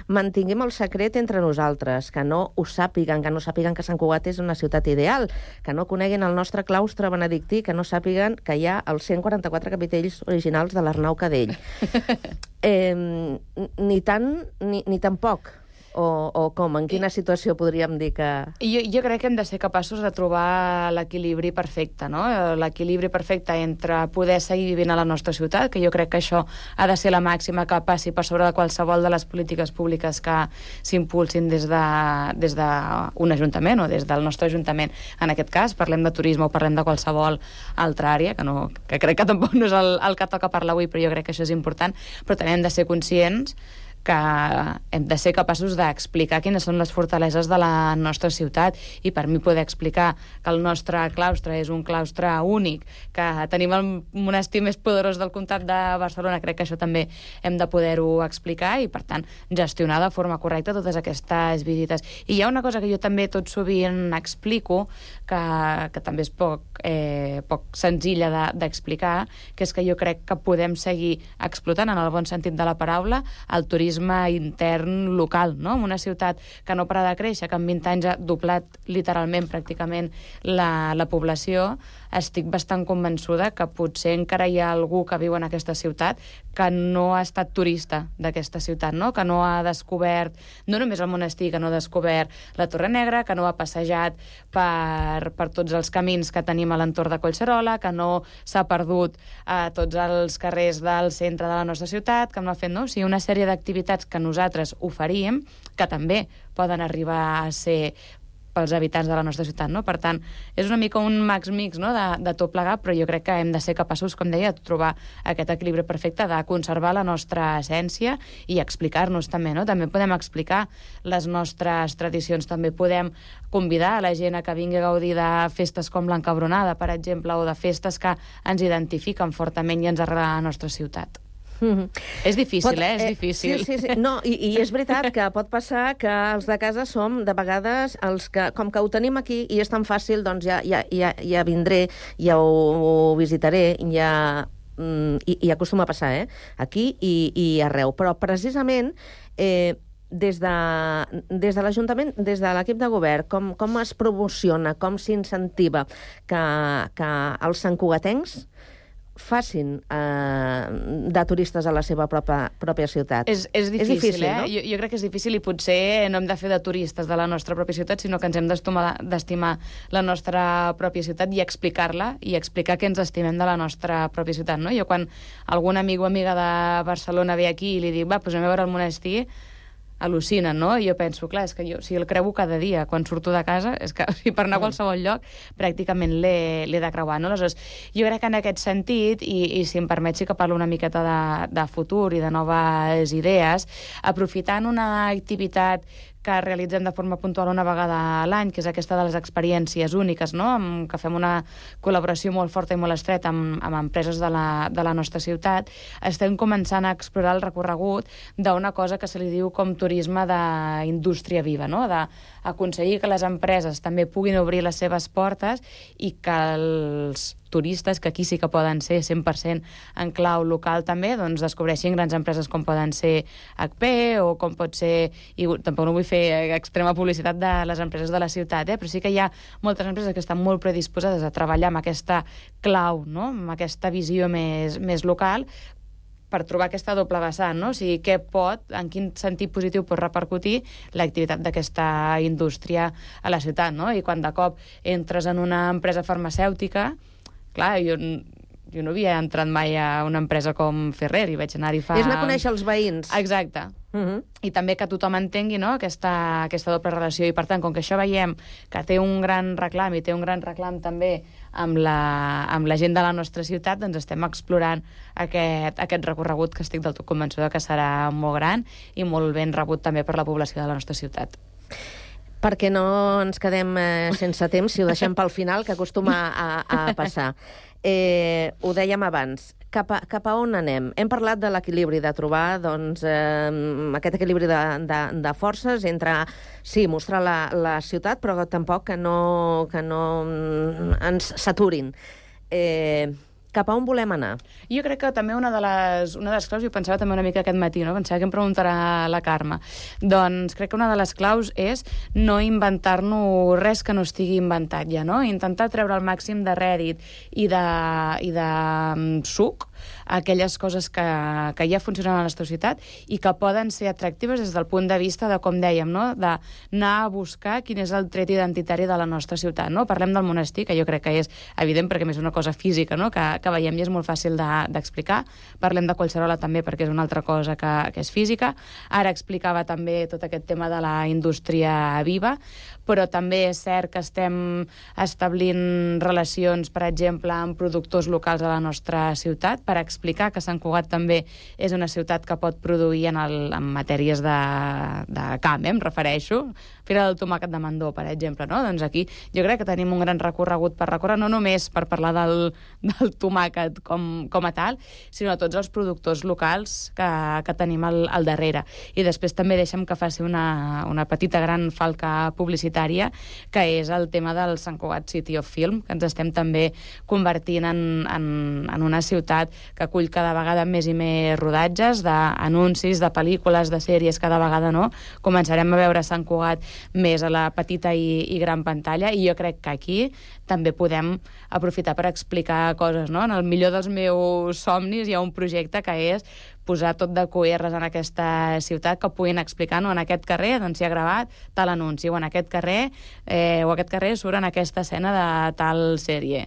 D: Mantinguem el secret entre nosaltres, que no ho sàpiguen, que no sàpiguen que Sant Cugat és una ciutat ideal, que no coneguin el nostre claustre benedictí, que no sàpiguen que hi ha els cent quaranta-quatre capitells originals de l'Arnau Cadell. Eh, ni tant ni, ni tampoc. O, o com? En quina situació podríem dir que...
O: Jo, jo crec que hem de ser capaços de trobar l'equilibri perfecte, no? L'equilibri perfecte entre poder seguir vivint a la nostra ciutat, que jo crec que això ha de ser la màxima que passi per sobre de qualsevol de les polítiques públiques que s'impulsin des de, des d'un ajuntament o des del nostre ajuntament. En aquest cas, parlem de turisme o parlem de qualsevol altra àrea, que, no, que crec que tampoc no és el, el que toca parlar avui, però jo crec que això és important. Però també hem de ser conscients que hem de ser capaços d'explicar quines són les fortaleses de la nostra ciutat i per mi poder explicar que el nostre claustre és un claustre únic, que tenim el monestir més poderós del comtat de Barcelona, crec que això també hem de poder-ho explicar i, per tant, gestionar de forma correcta totes aquestes visites. I hi ha una cosa que jo també tot sovint explico, que, que també és poc, eh, poc senzilla d'explicar, de, que és que jo crec que podem seguir explotant, en el bon sentit de la paraula, el turisme intern local, no? En una ciutat que no para de créixer, que en vint anys ha doblat literalment, pràcticament, la, la població, estic bastant convençuda que potser encara hi ha algú que viu en aquesta ciutat que no ha estat turista d'aquesta ciutat, no? Que no ha descobert, no només el monestir, que no ha descobert la Torre Negra, que no ha passejat per, per tots els camins que tenim a l'entorn de Collserola, que no s'ha perdut a tots els carrers del centre de la nostra ciutat, que no ha fet, no? O sigui, una sèrie d'activitats que nosaltres oferíem, que també poden arribar a ser pels habitants de la nostra ciutat, no? Per tant, és una mica un max-mix, no? de, de tot plegat, però jo crec que hem de ser capaços, com deia, de trobar aquest equilibri perfecte, de conservar la nostra essència i explicar-nos també, no? També podem explicar les nostres tradicions, també podem convidar a la gent a que vingui a gaudir de festes com l'Encabronada, per exemple, o de festes que ens identifiquen fortament i ens arrelen a la nostra ciutat.
D: Mm-hmm.
O: És difícil,
D: pot,
O: eh? És
D: eh,
O: difícil.
D: Sí, sí, sí. No, i, i és veritat que pot passar que els de casa som, de vegades, els que, com que ho tenim aquí i és tan fàcil, doncs ja, ja, ja, ja vindré, ja ho, ho visitaré, ja... I, i acostuma a passar, eh? Aquí i, i arreu. Però precisament... Eh, des de, des de l'Ajuntament, des de l'equip de govern, com, com es promociona, com s'incentiva que, que els santcugatencs facin eh, de turistes a la seva pròpia, pròpia ciutat.
O: És, és difícil,
D: és difícil,
O: eh?
D: no?
O: Jo, jo crec que és difícil i potser no hem de fer de turistes de la nostra pròpia ciutat, sinó que ens hem d'estimar la nostra pròpia ciutat i explicar-la i explicar que ens estimem de la nostra pròpia ciutat, no? Jo quan algun amic o amiga de Barcelona ve aquí i li dic, va, doncs anem a veure el monestir, al·lucinen, no? I jo penso, clar, és que jo, si el creuo cada dia quan surto de casa, és que o sigui, per anar a qualsevol lloc pràcticament l'he de creuar, no? Aleshores, jo crec que en aquest sentit, i, i si em permet sí que parlo una miqueta de, de futur i de noves idees, aprofitant una activitat que realitzem de forma puntual una vegada a l'any, que és aquesta de les experiències úniques, no? Amb, que fem una col·laboració molt forta i molt estreta amb, amb empreses de la, de la nostra ciutat, estem començant a explorar el recorregut d'una cosa que se li diu com turisme d'indústria viva, no? D'aconseguir que les empreses també puguin obrir les seves portes i que els turistes, que aquí sí que poden ser cent per cent en clau local també, doncs descobreixin grans empreses com poden ser H P o com pot ser, i tampoc no vull fer extrema publicitat de les empreses de la ciutat, eh? Però sí que hi ha moltes empreses que estan molt predisposades a treballar amb aquesta clau, no? Amb aquesta visió més, més local, per trobar aquesta doble vessant, no? O sigui, què pot, en quin sentit positiu pot repercutir l'activitat d'aquesta indústria a la ciutat, no? I quan de cop entres en una empresa farmacèutica, clar, jo jo no havia entrat mai a una empresa com Ferrer i vaig anar-hi fa...
D: És anar a conèixer els veïns.
O: Exacte. Uh -huh. I també que tothom entengui, no?, aquesta, aquesta doble relació. I, per tant, com que això veiem que té un gran reclam i té un gran reclam també amb la, amb la gent de la nostra ciutat, doncs estem explorant aquest, aquest recorregut que estic del tot convençuda que serà molt gran i molt ben rebut també per la població de la nostra ciutat.
D: Perquè no ens quedem eh, sense temps, si ho deixem pel final, que acostuma a, a passar. Eh, ho dèiem abans, cap a, cap a on anem? Hem parlat de l'equilibri, de trobar doncs, eh, aquest equilibri de, de, de forces entre, sí, mostrar la, la ciutat, però tampoc que no, que no ens saturin. Eh, cap a on volem anar?
O: Jo crec que també una de les, una de les claus, jo pensava també una mica aquest matí, no? Pensava que em preguntarà la Carme. Doncs crec que una de les claus és no inventar-nos res que no estigui inventat ja, no? Intentar treure el màxim de rèdit i de, i de um, suc aquelles coses que, que ja funcionen a la nostra ciutat i que poden ser atractives des del punt de vista de, com dèiem, no?, d'anar a buscar quin és el tret identitari de la nostra ciutat, no? Parlem del monestir, que jo crec que és evident perquè és una cosa física, no?, que, que veiem i és molt fàcil d'explicar. De, Parlem de Collserola també perquè és una altra cosa que, que és física. Ara explicava també tot aquest tema de la indústria viva, però també és cert que estem establint relacions, per exemple, amb productors locals a la nostra ciutat per explicar que Sant Cugat també és una ciutat que pot produir en, el, en matèries de, de camp, eh, em refereixo. Fira del Tomàquet de Mandó, per exemple, no? Doncs aquí jo crec que tenim un gran recorregut per recórrer, no només per parlar del, del tomàquet com, com a tal, sinó a tots els productors locals que, que tenim al, al darrere. I després també deixem que faci una, una petita gran falca publicitària, que és el tema del Sant Cugat City of Film, que ens estem també convertint en, en, en una ciutat que acull cada vegada més i més rodatges d'anuncis, de pel·lícules, de sèries, cada vegada no. Començarem a veure Sant Cugat més a la petita i, i gran pantalla, i jo crec que aquí també podem aprofitar per explicar coses, no? En el millor dels meus somnis hi ha un projecte que és posar tot de Q Rs en aquesta ciutat que puguin explicar, no, en aquest carrer doncs s'hi ha gravat tal anunci, o en aquest carrer eh, o aquest carrer surt en aquesta escena de tal sèrie.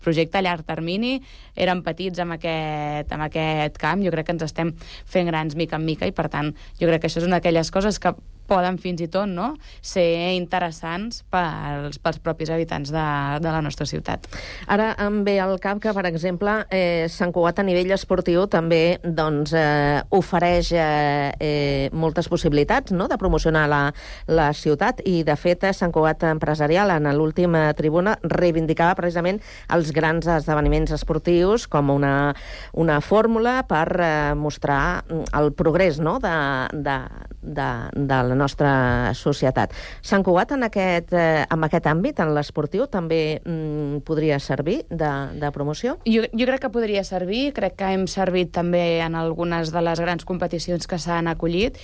O: Projecte a llarg termini, eren petits amb aquest, amb aquest camp, jo crec que ens estem fent grans mica en mica i, per tant, jo crec que això és una d'aquelles coses que poden fins i tot, no?, ser interessants pels, pels propis habitants de, de la nostra ciutat.
D: Ara em ve al cap que, per exemple, eh, Sant Cugat a nivell esportiu també doncs, eh, ofereix eh, eh, moltes possibilitats, no?, de promocionar la, la ciutat, i de fet Sant Cugat Empresarial en l'última tribuna reivindicava precisament els grans esdeveniments esportius com una, una fórmula per eh, mostrar el progrés, no?, de, de, de, de la nostra societat. Sant Cugat en aquest, eh, en aquest àmbit, en l'esportiu, també mm, podria servir de, de promoció?
O: Jo, jo crec que podria servir, crec que hem servit també en algunes de les grans competicions que s'han acollit,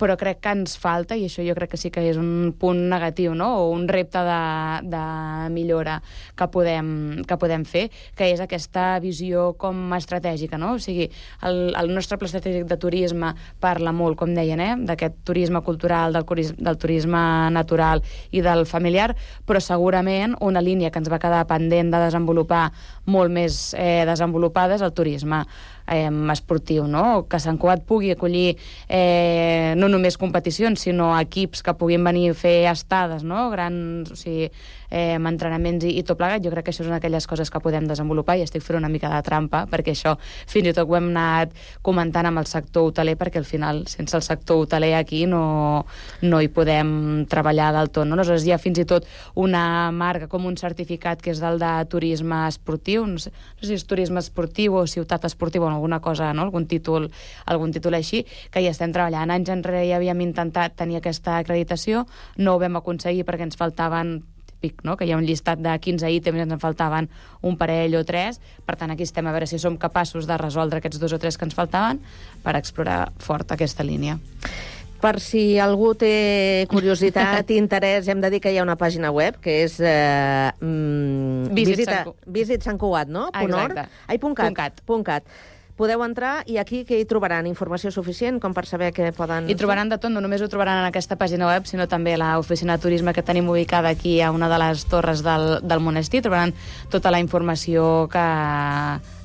O: però crec que ens falta, i això jo crec que sí que és un punt negatiu, no?, o un repte de, de millora que podem, que podem fer, que és aquesta visió com estratègica, no? O sigui, el, el nostre pla estratègic de turisme parla molt, com deien, eh?, d'aquest turisme cultural, del, del turisme natural i del familiar, però segurament una línia que ens va quedar pendent de desenvolupar molt més eh, desenvolupada és el turisme eh, esportiu, no? Que Sant Cugat pugui acollir eh, no només competicions, sinó equips que puguin venir a fer estades, no?, grans, o sigui, eh, amb entrenaments i, i tot plegat. Jo crec que això és una d'aquelles coses que podem desenvolupar, i estic fent una mica de trampa, perquè això fins i tot ho hem anat comentant amb el sector hoteler, perquè al final, sense el sector hoteler aquí no, no hi podem treballar del tot, no? Aleshores hi ha fins i tot una marca com un certificat que és del de turisme esportiu, no sé, no sé si és turisme esportiu o ciutat esportiva o alguna cosa, no?, algun títol, algun títol així, que hi estem treballant. Anys enrere ja havíem intentat tenir aquesta acreditació, no ho vam aconseguir perquè ens faltaven típic, no?, que hi ha un llistat de quinze ítems i ens en faltaven un parell o tres. Per tant, aquí estem a veure si som capaços de resoldre aquests dos o tres que ens faltaven per explorar fort aquesta línia.
D: Per si algú té curiositat i interès, hem de dir que hi ha una pàgina web, que és eh, mm,
O: Visit
D: visita,
O: Sant Cu-
D: Visit Sant Cugat, no?
O: Ah, exacte.
D: Ai, punt cat.
O: Punt cat.
D: Punt cat. Podeu entrar i aquí que hi trobaran informació suficient com per saber què poden...
O: I trobaran de tot, no només ho trobaran en aquesta pàgina web, sinó també a l'oficina de turisme que tenim ubicada aquí a una de les torres del, del monestir. Trobaran tota la informació que,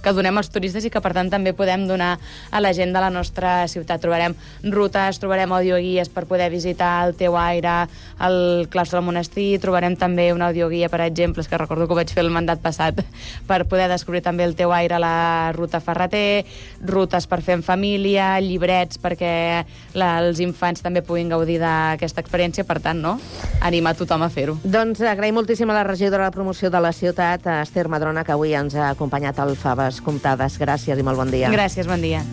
O: que donem als turistes i que, per tant, també podem donar a la gent de la nostra ciutat. Trobarem rutes, trobarem audioguies per poder visitar el Teu Aire, el claustre del monestir, trobarem també una audioguia, per exemple, que recordo que ho vaig fer el mandat passat, per poder descobrir també el Teu Aire a la ruta Ferreter, rutes per fer en família, llibrets perquè la, els infants també puguin gaudir d'aquesta experiència, per tant, no? Animar tothom a fer-ho.
D: Doncs agraïm moltíssim a la regidora de promoció de la ciutat, Esther Madrona, que avui ens ha acompanyat al Faves Comptades. Gràcies i molt bon dia.
O: Gràcies, bon dia.